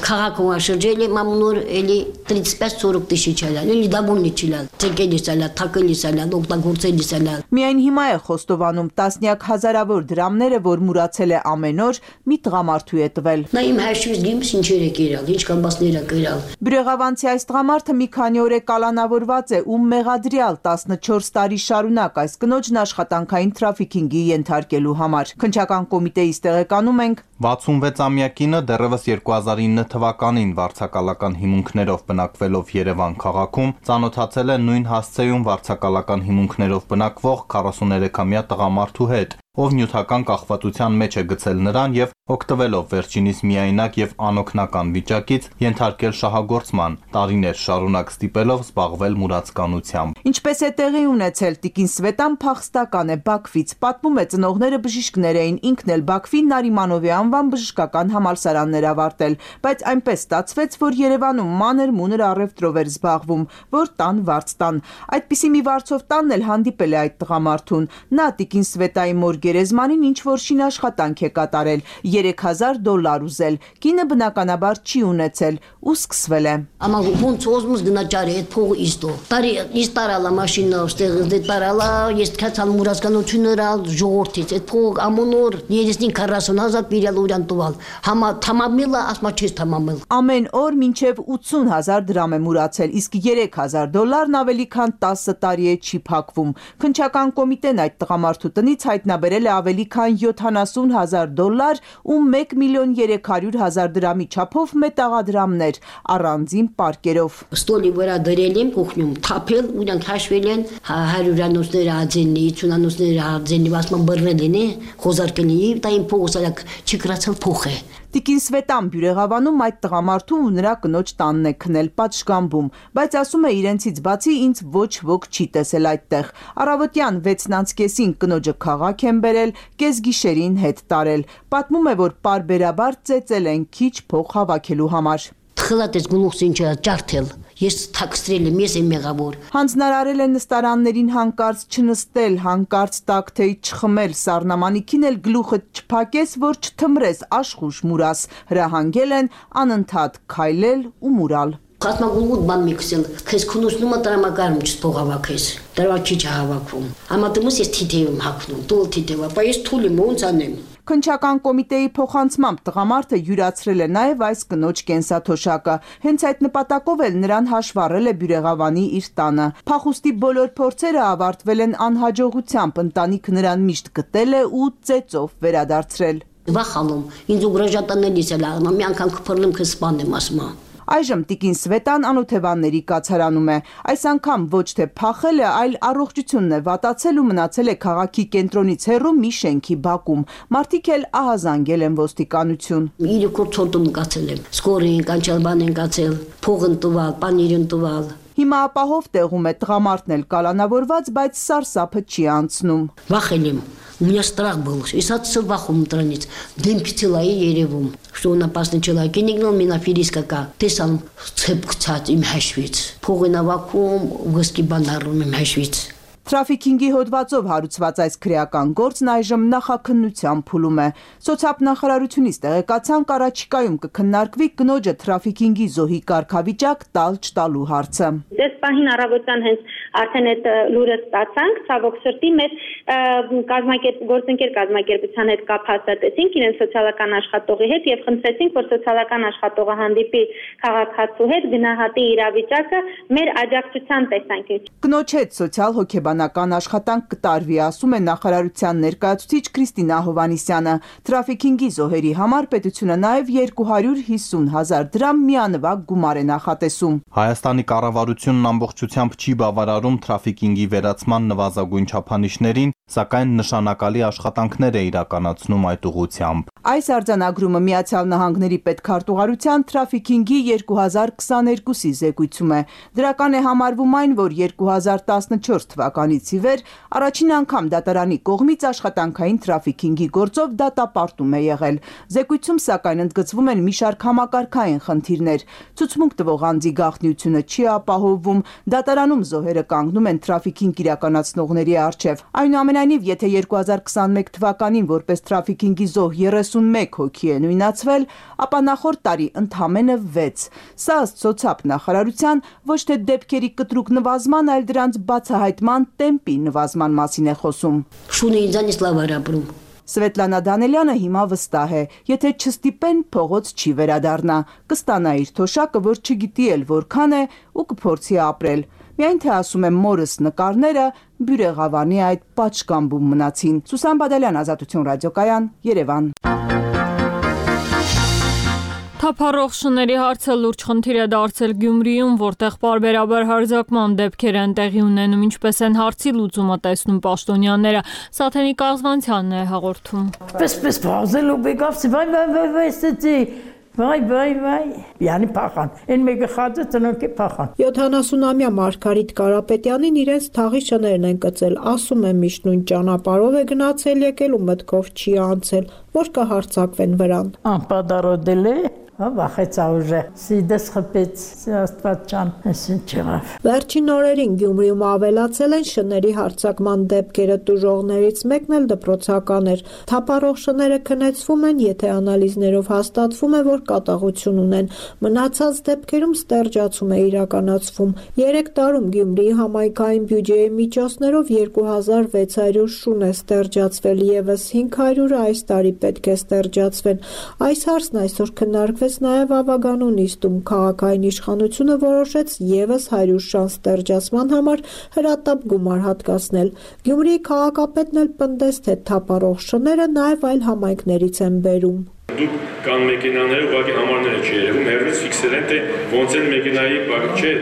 քաղաքում շրջել եմ ամեն օր էլի тридцать пять сорок тысяч ալալ, էլի դաբունի չիլալ, ցեկելիս ալալ, թակելիս ալալ, օգտագործելիս ալալ։ Միայն հիմա է խոստովանում տասնյակ հազարավոր դրամները, որ մուրացել է ամեն օր, մի տղամարդու է տվել։ Նա իմ հաշվից գիմս ինչեր է կերալ, ինչ կամբասներ է կերալ։ Բյուրեղավանցի այս տղամարդը մի քանի օր է կալանավորված է ու մեղադրյալ տասնչորս տարի շարունակ այս կնոջն աշխատանքային թրաֆիքինգի ենթարկելու համար։ Քննչական կոմիտեից տեղեկանում ենք վաթսունվեց-ամյա կինը դեռևս երկու հազար ինը թվականին վարձակալական հիմունքներով բնակվելով Երևան քաղաքում ծանոթացել է նույն հասցեում վարձակալական հիմունքներով բնակվող քառասուներեքամյա տղամարդու հետ, ով նյութական կախվածության մեջ է գցել նրան եւ օգտվելով վերջինիս միայնակ եւ անօգնական վիճակից ենթարկել շահագործման, տարիներ շարունակ ստիպելով զբաղվել մուրացկանությամբ։ Ինչպես է տեղի ունեցել, տիկին Սվետան փախստական է Բաքվից, պատմում է ծնողները բժիշկներ էին, ինքն էլ Բաքվի Նարիմանովի անվան բժշկական համալսարաններ ավարտել, բայց այնպես ստացվեց, որ Երևանում մանր մունր առևտրով էր զբաղվում, որ տան վարձ տան։ Այդպիսի մի վարձով տանն էլ հանդիպել է այդ տղամարդուն։ Նա տիկին Սվետայի մոր գերեզմանին ինչ որ շին աշխատանք է կատարել, երեք հազար դոլար ուզել, կինը բնականաբար չի ունեցել ու սկսվել է։ Ամա ոնց ոզմուս գնա ճարի այդ փողը իստո։ Տարի իս տարալա մաշինա, ստեղ դե տարալա, ես քացալ մուրացկանությունները ալ ժողովրդից, այդ փող ամեն օր երեսին քառասուն հազար բիրալ ուրան տուալ։ Համա թամամիլը ասма չես թամամիլ։ Ամեն օր մինչև ութսուն հազար դրամ է մուրացել, իսկ երեք հազար դոլարն ավելի քան տասը տարի է չի փակվում։ Քննչական կոմիտեն այդ տղամարդու տնից հայտնաբերել է ավելի քան յոթանասուն հազար դոլար ու մեկ միլիոն երեք հարյուր հազար դրամի չափով մետաղադրամներ առանձին պարկերով։ Ստոլի վրա դրել եմ կողնում, թափել, ուրանք հաշվել են հարյուրանոցները ածենի, ութանոցները ածենի, ասման բռնել են, խոզարկել են, դա իմ փողը սարակ չկրացել փող է։ Տիկին Սվետան Բյուրեղավանում այդ տղամարդու ու նրա կնոջ տանն է քնել պատշգամբում, բայց ասում է իրենցից բացի ինձ ոչ ոք չի տեսել այդտեղ։ Առավոտյան վեցն անց կեսին կնոջը քաղաք են բերել, կեսգիշերին հետ տարել։ Պատմում է, որ պարբերաբար ծեծել են քիչ փող հավաքելու համար։ Թխլատես գլուխս ինչա ջարդել։ Ես թաքցրել եմ, ես եմ մեղավոր։ Հանձնարարել են նստարաններին հանկարծ չնստել, հանկարծ տակթեյ չխմել, սառնամանիքին էլ գլուխը չփակես, որ չթմրես, աշխուժ մուրաս։ Հրահանգել են անընդհատ քայլել ու մուրալ։ Խաթմագուլգուտ բան մի քսել, քեզ քունուսնումը տրամակարում չփող հավաքես, դրա չի չհավաքվում։ Համատումս ես թիթև եմ հագնում, տուլ թիթև, ապա ես թուլ եմ, ոնց անեմ։ Քննչական կոմիտեի փոխանցմամբ տղամարդը յուրացրել է նաև այս կնոջ կենսաթոշակը։ Հենց այդ նպատակով էլ նրան հաշվառել է Բյուրեղավանի իր տանը։ Փախուստի բոլոր փորձերը ավարտվել են անհաջողությամբ, ընտանիքը նրան միշտ գտել է ու ծեծով վերադարձրել։ Վախալում, ինձ ուգրաժատանելիս էլ աղմա, մի անգամ կփռնեմ քեզ սպանեմ ասմա։ Այժմ տիկին Սվետան Անօթևանների կացարանում է։ Այս անգամ ոչ թե փախել է, այլ առողջությունն է վատացել ու մնացել է քաղաքի կենտրոնից հեռու մի շենքի բակում։ Մարդիկ էլ ահազանգել են ոստիկանություն։ Իրոք ցոտում կացել եմ։ Սկորին կանչալ բան են կացել, փողն տվալ, պանիրն տվալ։ Հիմա ապահով տեղում է տղամարդն էլ կալանավորված, բայց սարսափը չի անցնում։ Վախել եմ։ У меня страх был. И садся вахом тронить. Дым пиццела и еревум. Что он опасный человек. И не гнал меня фириска. Ты сам цепк цат им хашвиц. Погы на вакуум, выски банарум им хашвиц. Թրաֆիքինգի հոդվածով հարուցված այս քրեական գործն այժմ նախաքննության փուլում է։ Սոցիալնախարարությունից տեղեկացան առաջիկայում կքննարկվի կնոջը թրաֆիքինգի զոհի կարգավիճակ տալ չտալու հարցը։ Դες պահին առավոտյան հենց արդեն այդ լուրը ստացանք, ցավոք սրտի մեր կազմակերպ գործընկեր կազմակերպության հետ կապ հաստատեցինք իրեն սոցիալական աշխատողի հետ եւ խնդրեցինք, որ սոցիալական աշխատողը հանդիպի քաղաքացու հետ, գնահատի իրավիճակը մեր աջակցության տեսանկյունից։ Կնոջ հետ սոցիալ հոգեբանական աշխատանք կտարվի, ասում է նախարարության ներկայացուցիչ Քրիստինա Հովանիսյանը։ Թրաֆիքինգի զոհերի համար պետությունը նաև երկու հարյուր հիսուն հազար դրամ միանվագ գումար է նախատեսում։ Հայաստանի կառավարությունն ամբողջությամբ չի բավարարում թրաֆիքինգի վերացման նվազագույն չափանիշներին, սակայն նշանակալի աշխատանքներ է իրականացնում այդ ուղղությամբ։ Այս արձանագրումը Միացյալ Նահանգների պետքարտուղարության թրաֆիքինգի երկու հազար քսաներկուսի զեկույցում է։ Դրական է համարվում այն, որ երկու հազար տասնչորս թվականից ի վեր առաջին անգամ դատարանի կողմից աշխատանքային թրաֆիքինգի գործով դատապարտում է եղել։ Զեկույցում սակայն ընդգծվում են մի շարք համակարգային խնդիրներ։ Ցուցմունք տվող անձի գաղտնիությունը չի ապահովվում, դատարանում զոհերը կանգնում են թրաֆիքինգ իրականացնողների առջև։ Այնուամենայնիվ, եթե երկու հազար քսաներկու թվականին որպես թրաֆիքինգի զոհ երեսունմեկ հոգի է նույնացվել, ապա նախորդ տարի ընդամենը վեց։ Սա ըստ սոցիալ նախարարության ոչ թե դեպքերի կտրուկ նվազման, այլ դրանց բացահայտման տեմպի նվազման մասին է խոսում։ Շունը ինձանից լավ արաբրում։ Սվետլանա Դանելյանը հիմա վստահ է, եթե չստիպեն, փողոց չի վերադառնա, կստանա իր թոշակը, որ չգիտի էլ որքան է ու կփորձի ապրել։ Միայն թե ասում եմ մորս նկարները Բյուրեղավանի այդ պատշգամբում մնացին։ Սուսան Բադալյան, Ազատություն ռադիոկայան, Երևան։ Թափառող շների հարցը լուրջ խնդիր է դարձել Գյումրիում, որտեղ պարբերաբար հարձակման դեպքեր են տեղի ունենում, ինչպես են հարցի լուծումը տեսնում պաշտոնյաները։ Սաթենիկ Աղզվանցյանն է հաղորդում։ Պես-պես բազել ու բեկավ, վայ վայ վայ վայ ստեցի։ Վայ վայ վայ, յանի փախան։ Այն մեկը խածը ծնոկի փախան։ յոթանասունամյա Մարգարիտ Կարապետյանին իրենց թաղի շներն են կծել, ասում է միշտ նույն ճանապարհով է գնացել եկել ու մտքով չի անցել, որ կհարձակվեն վրան։ Անպադարոդել է։ Վախեց ուժը, սիդես խփեց, Աստված ջան, այսին չեղավ։ Վերջին օրերին Գյումրիում ավելացել են շների հարձակման դեպքերը, տուժողներից մեկն էլ դպրոցական էր։ Թափառող շները քնեցվում են, եթե անալիզներով հաստատվում է, որ կատաղություն ունեն։ Մնացած դեպքերում ստերջացում է իրականացվում։ Երեք տարում Գյումրիի համայնքային բյուջեի միջոցներով երկու հազար վեց հարյուր շուն է ստերջացվել, եւս հինգ հարյուրը այս տարի պետք է ստերջացվեն։ Այս հարցն այսօր քննարկվել նաև Ավագանու նիստում քաղաքային իշխանությունը որոշեց եւս հարյուր շան ստերջացման համար հրատապ գումար հատկացնել։ Գյումրիի քաղաքապետն էլ պնդեց, թե թափառող շները նաև այլ համայնքներից են բերում։ Դուք կան մեքենաները, ուղղակի համարները չի երևում, հերվից ֆիքսել են, թե ոնց են մեքենայի բակ չէ։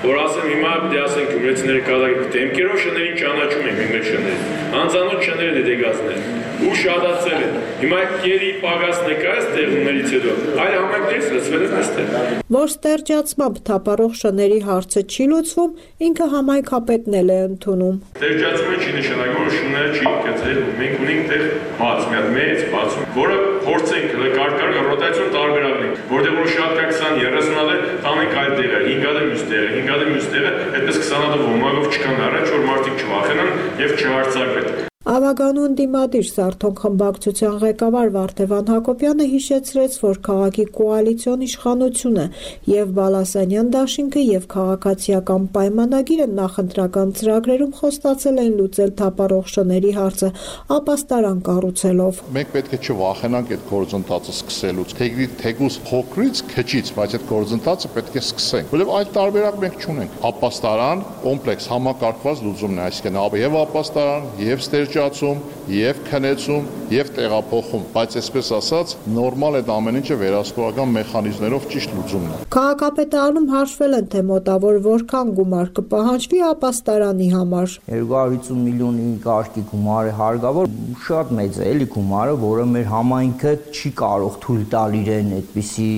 Որ ասեմ հիմա դե ասենք գյումրեցիների կատակի դեմքերով շներին ճանաչում են մեր շները։ Անծանոթ շներն է դեգազներ ու շատացել են։ Հիմա գերի պագաս նկայս տեղումներից հետո այլ համայնքներից լսվել են այստեղ։ Որ ստերջացմամբ թափառող շների հարցը չի լուծվում, ինքը համայնքապետն էլ է ընդունում։ Ստերջացումը չի նշանակում, որ շները չի գծել, մենք ունենք տեղ բաց, մի հատ մեծ բացում, որը փորձենք կարգարկել ռոտացիոն տարբերակներ, որտեղ որ շատ կա քսան երեսուն հատ տանենք այլ տեղեր, հինգ հատ մյուս մյուս տեղը այդպես քսան հատ ոմակով չկան առաջ, որ մարդիկ չվախենան եւ չհարցակվեն։ Ավագանու ընդդիմադիր Սարթոն խմբակցության ղեկավար Վարդևան Հակոբյանը հիշեցրեց, որ քաղաքի կոալիցիոն իշխանությունը եւ Բալասանյան դաշինքը եւ քաղաքացիական պայմանագիրը նախընտրական ծրագրերում խոստացել են լուծել թափառող շների հարցը ապաստարան կառուցելով։ Մենք պետք է չվախենանք այդ գործընթացը սկսելուց, թեկուզ փոքրից քչից, բայց այդ գործընթացը պետք է սկսենք, որովհետեւ այլ տարբերակ մենք չունենք։ Ապաստարան կոմպլեքս համակարգված լուծումն է, այսինքն եւ ապաստարան, եւ ստերջացում, եւ քնեցում, եւ տեղափոխում, բայց այսպես ասած նորմալ այդ ամեն ինչը վերահսկողական մեխանիզմներով ճիշտ լուծումն է։ Քաղաքապետարանում հաշվել են, թե մոտավոր որքան գումար կպահանջվի ապաստարանի համար։ երկու հարյուր հիսուն միլիոնի կարգի գումարը հարկավոր, շատ մեծ է էլի գումարը, որը մեր համայնքը չի կարող թույլ տալ իրեն այդպիսի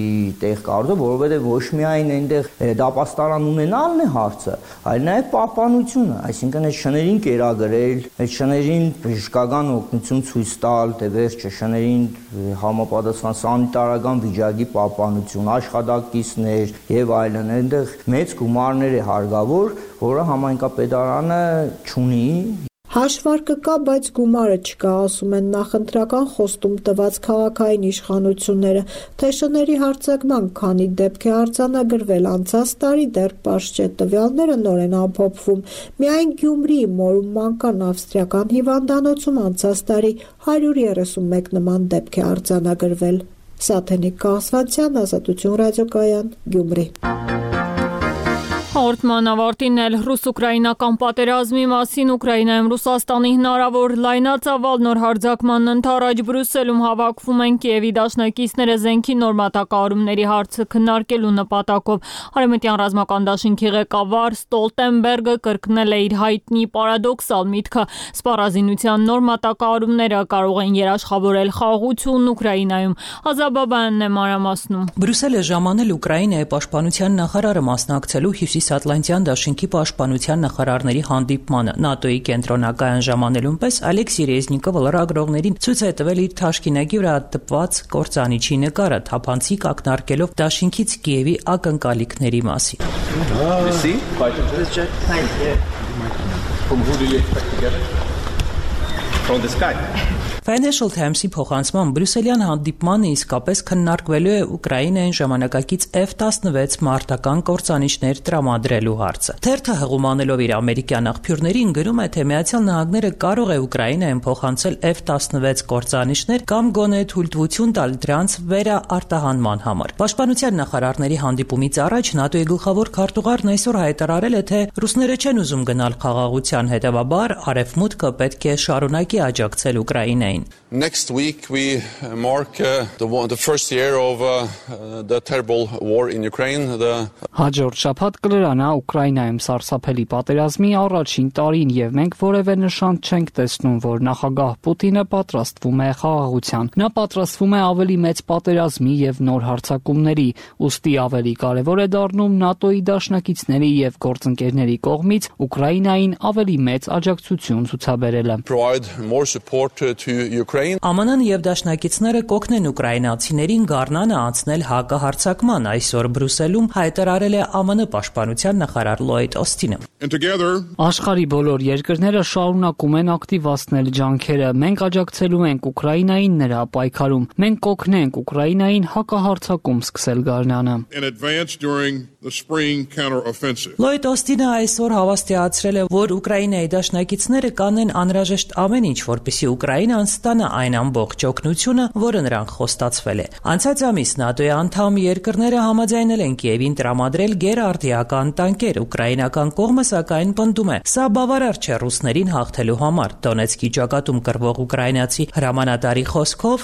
տեղ կառուցել, որովհետեւ ոչ միայն այնտեղ ապաստարան ունենալն է հարցը, այլ նաեւ պահպանությունը, այսինքն այդ շներին կերակրել, այդ շներին բժշկական օգնություն ցույց տալ, դե վերջը շներին համապատասխան սանիտարական վիճակի պահպանություն, աշխատակիցներ եւ այլն, այնտեղ մեծ գումարներ է հարկավոր, որը համայնքապետարանը չունի։ Հաշվարկը կա, բայց գումարը չկա, ասում են նախընտրական խոստում տված քաղաքային իշխանությունները, թե շների հարձակման քանի դեպք է արձանագրվել անցած տարի, դեռ պարզ չէ, տվյալները նոր են ամփոփվում։ Միայն Գյումրիի Մորում մանկան ավստրիական հիվանդանոցում անցած տարի հարյուր երեսունմեկ նման դեպք է արձանագրվել։ Սաթենիկ Կասվանցյան, Ազատություն ռադիոկայան, Գյումրի։ Հաղորդման ավարտին էլ ռուս-ուկրաինական պատերազմի մասին Ուկրաինայում Ռուսաստանի հնարավոր լայնածավալ նոր հարձակման ընթരാճ Բրյուսելում հավաքվում են Կիևի դաշնակիցները զենքի նոր մատակարարումների հարցը քննարկելու նպատակով։ Արևմտյան ռազմական դաշինքի ղեկավար Ստոլտենբերգը կրկնել է իր հայտնի պարադոքսալ միտքը՝ սպառազինության նոր մատակարարումները կարող են երաշխավորել խաղաղություն Ուկրաինայում։ Ազաբաբյանն է մանրամասնում։ Բրյուսելը ժամանել Ուկրաինայի պաշտպանության նախարարը մասնակցելու Հյուսիսատլանտյան դաշինքի պաշտպանության նախարարների հանդիպմանը։ ՆԱՏՕ-ի կենտրոնակայան ժամանելուն պես Ալեքսի Ռեզնիկովը լրագրողներին ցույց է տվել իր թաշկինակի վրա տպված կործանիչի նկարը, թափանցիկ ակնարկելով դաշինքից Կիևի ակնկալիքների մասին։ Financial Times-ի փոխանցման Բրյուսելյան հանդիպմանը իսկապես քննարկվելու է Ուկրաինային ժամանակակից F տասնվեց մարտական կործանիչներ տրամադրելու հարցը։ Թերթը հղումանելով իր ամերիկյան աղբյուրներին գրում է, թե Միացյալ Նահանգները կարող է Ուկրաինային փոխանցել F տասնվեց կործանիչներ կամ գոնե թույլտվություն տալ դրանց վերաարտահանման համար։ Պաշտպանության նախարարների հանդիպումից առաջ ՆԱՏՕ-ի գլխավոր քարտուղարն այսօր հայտարարել է, թե ռուսները չեն ուզում գնալ խաղաղության, հետևաբար Արևմուտքը պետք է շարունակի աջակցել Ուկրաինային։ Next week we mark uh, the, the first year of uh, the terrible war in Ukraine. The... Հաջորդ շաբաթ կլրանա Ուկրաինայում սարսափելի պատերազմի առաջին տարին եւ մենք որևէ նշան չենք տեսնում, որ նախագահ Պուտինը պատրաստվում է խաղաղության։ Նա պատրաստվում է ավելի մեծ պատերազմի եւ նոր հարձակումների, ուստի ավելի կարեւոր է դառնում ՆԱՏՕ-ի դաշնակիցների եւ գործընկերների կողմից Ուկրաինային ավելի մեծ աջակցություն ցուցաբերելը։ Provide more support to Ukraine. ԱՄՆ-ն եւ դաշնակիցները կօգնեն ուկրաինացիներին գարնանը անցնել հակահարձակման, այսօր Բրյուսելում հայտարարել է ԱՄՆ պաշտպանության նախարար Լոյդ Օսթինը։ Աշխարհի բոլոր երկրները շարունակում են ակտիվացնել ջանքերը։ Մենք աջակցելու ենք Ուկրաինային նրա պայքարում։ Մենք կօգնենք Ուկրաինային հակահարձակում սկսել գարնանը։ Լոյդ Օսթինը այսօր հավաստիացրել է, որ Ուկրաինայի դաշնակիցները կանեն անհրաժեշտ ամեն ինչ, որպեսզի Ուկրաինան ստանա այն ամբողջ օգնությունը, որը նրանք խոստացվել է։ Անցած ամիս ՆԱՏՕ-ի անդամ երկրները համաձայնել են Կիևին տրամադրել գերարդիական տանկեր։ Ուկրաինական կողմը սակայն պնդում է, սա բավարար չէ ռուսներին հաղթելու համար։ Դոնեցկի ճակատում կռվող ուկրաինացի հրամանատարի խոսքով,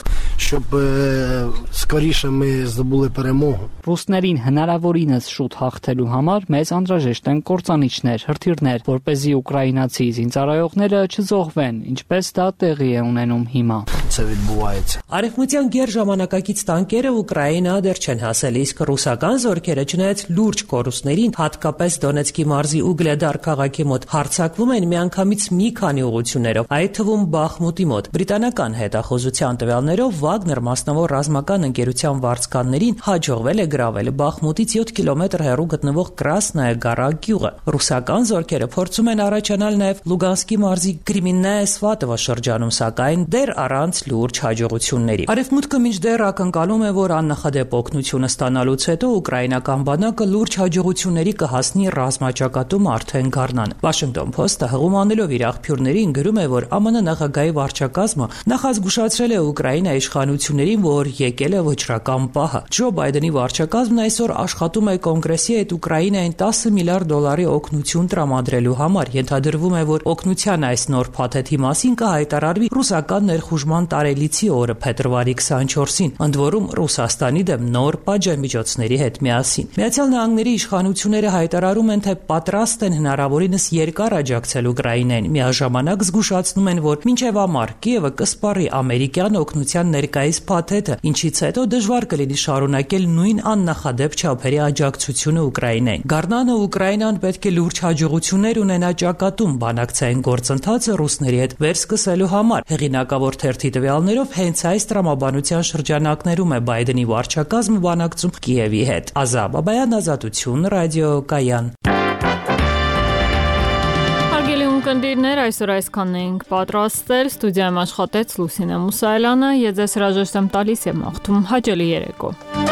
ռուսներին հնարավորինս շուտ հաղթելու համար մեզ անհրաժեշտ են կործանիչներ, հրթիռներ, որպեսզի ուկրաինացի զինծառայողները չզոհվեն, ինչպես դա տեղի է ունենում հիմա։ Արևմտյան գերժամանակակից տանկերը Ուկրաինա դեռ չեն հասել, իսկ ռուսական զորքերը չնայած լուրջ կորուստներին, հատկապես Դոնեցկի մարզի Ուգլեդար քաղաքի մոտ հարձակվում են միանգամից մի քանի ուղղություններով, այդ թվում Բախմուտի մոտ։ Բրիտանական հետախուզության տվյալներով Վագներ մասնավոր ռազմական ընկերության վարձկաններին հաջողվել է գրավել Բախմուտից յոթ կիլոմետր հեռու գտնվող Կրասնայա Գարա գյուղը։ Ռուսական զորքերը փորձում են առաջանալ նաև Լուգանսկի մարզի Կրեմիննայե Սվատովա շրջանում, սակայն դեռ առանց լուրջ հաջողությունների։ Արևմուտքը մինչդեռ ակնկալում է, որ աննախադեպ օգնությունը ստանալուց հետո ուկրաինական բանակը լուրջ հաջողությունների կհասնի ռազմաճակատում արդեն գարնան։ Washington Post-ը հղում անելով իր աղբյուրներին գրում է, որ ԱՄՆ նախագահի վարչակազմը նախազգուշացրել է Ուկրաինայի իշխանություններին, որ եկել է վճռական պահը։ Ջո Բայդենի վարչակազմն այսօր աշխատում է Կոնգրեսի հետ Ուկրաինային տասը միլիարդ դոլարի օգնություն տրամադրելու համար։ Ենթադրվում է, որ օգնության այս նոր փաթեթի մասին կհայտարարվի ռուսական ներխուժման տարելիցի օրը փետրվարի քսանչորսին, ընդ որում Ռուսաստանի դեմ նոր պատժամիջոցների հետ միասին։ Միացյալ Նահանգների իշխանությունները հայտարարում են, թե պատրաստ են հնարավորինս երկար աջակցել Ուկրաինային, միաժամանակ զգուշացնում են, որ մինչև ամառ Կիևը կսպառի ամերիկյան օգնության ներկայիս փաթեթը, ինչից հետո դժվար կլինի շարունակել նույն աննախադեպ չափերի աջակցությունը Ուկրաինային։ Գարնանը Ուկրաինան պետք է լուրջ հաջողություններ ունենա ճակատում բանակցային գործընթացը ռուսների հետ վերսկսելու համար։ Հեղինակավոր թերթի տվյալներով հենց այս տրամաբանության շրջանակներում է Բայդենի վարչակազմը բանակցում Կիևի հետ։ Ազատ Բաբայան, Ազատություն, ռադիո Կայան։ Հարգելի ունկնդիրներ, այսօր այսքանն էինք պատրաստել, ստուդիայում աշխատեց Լուսինե Մուսայելյանը, ես ձեզ հրաժեշտ եմ տալիս եւ մաղթում հաճելի երեկո։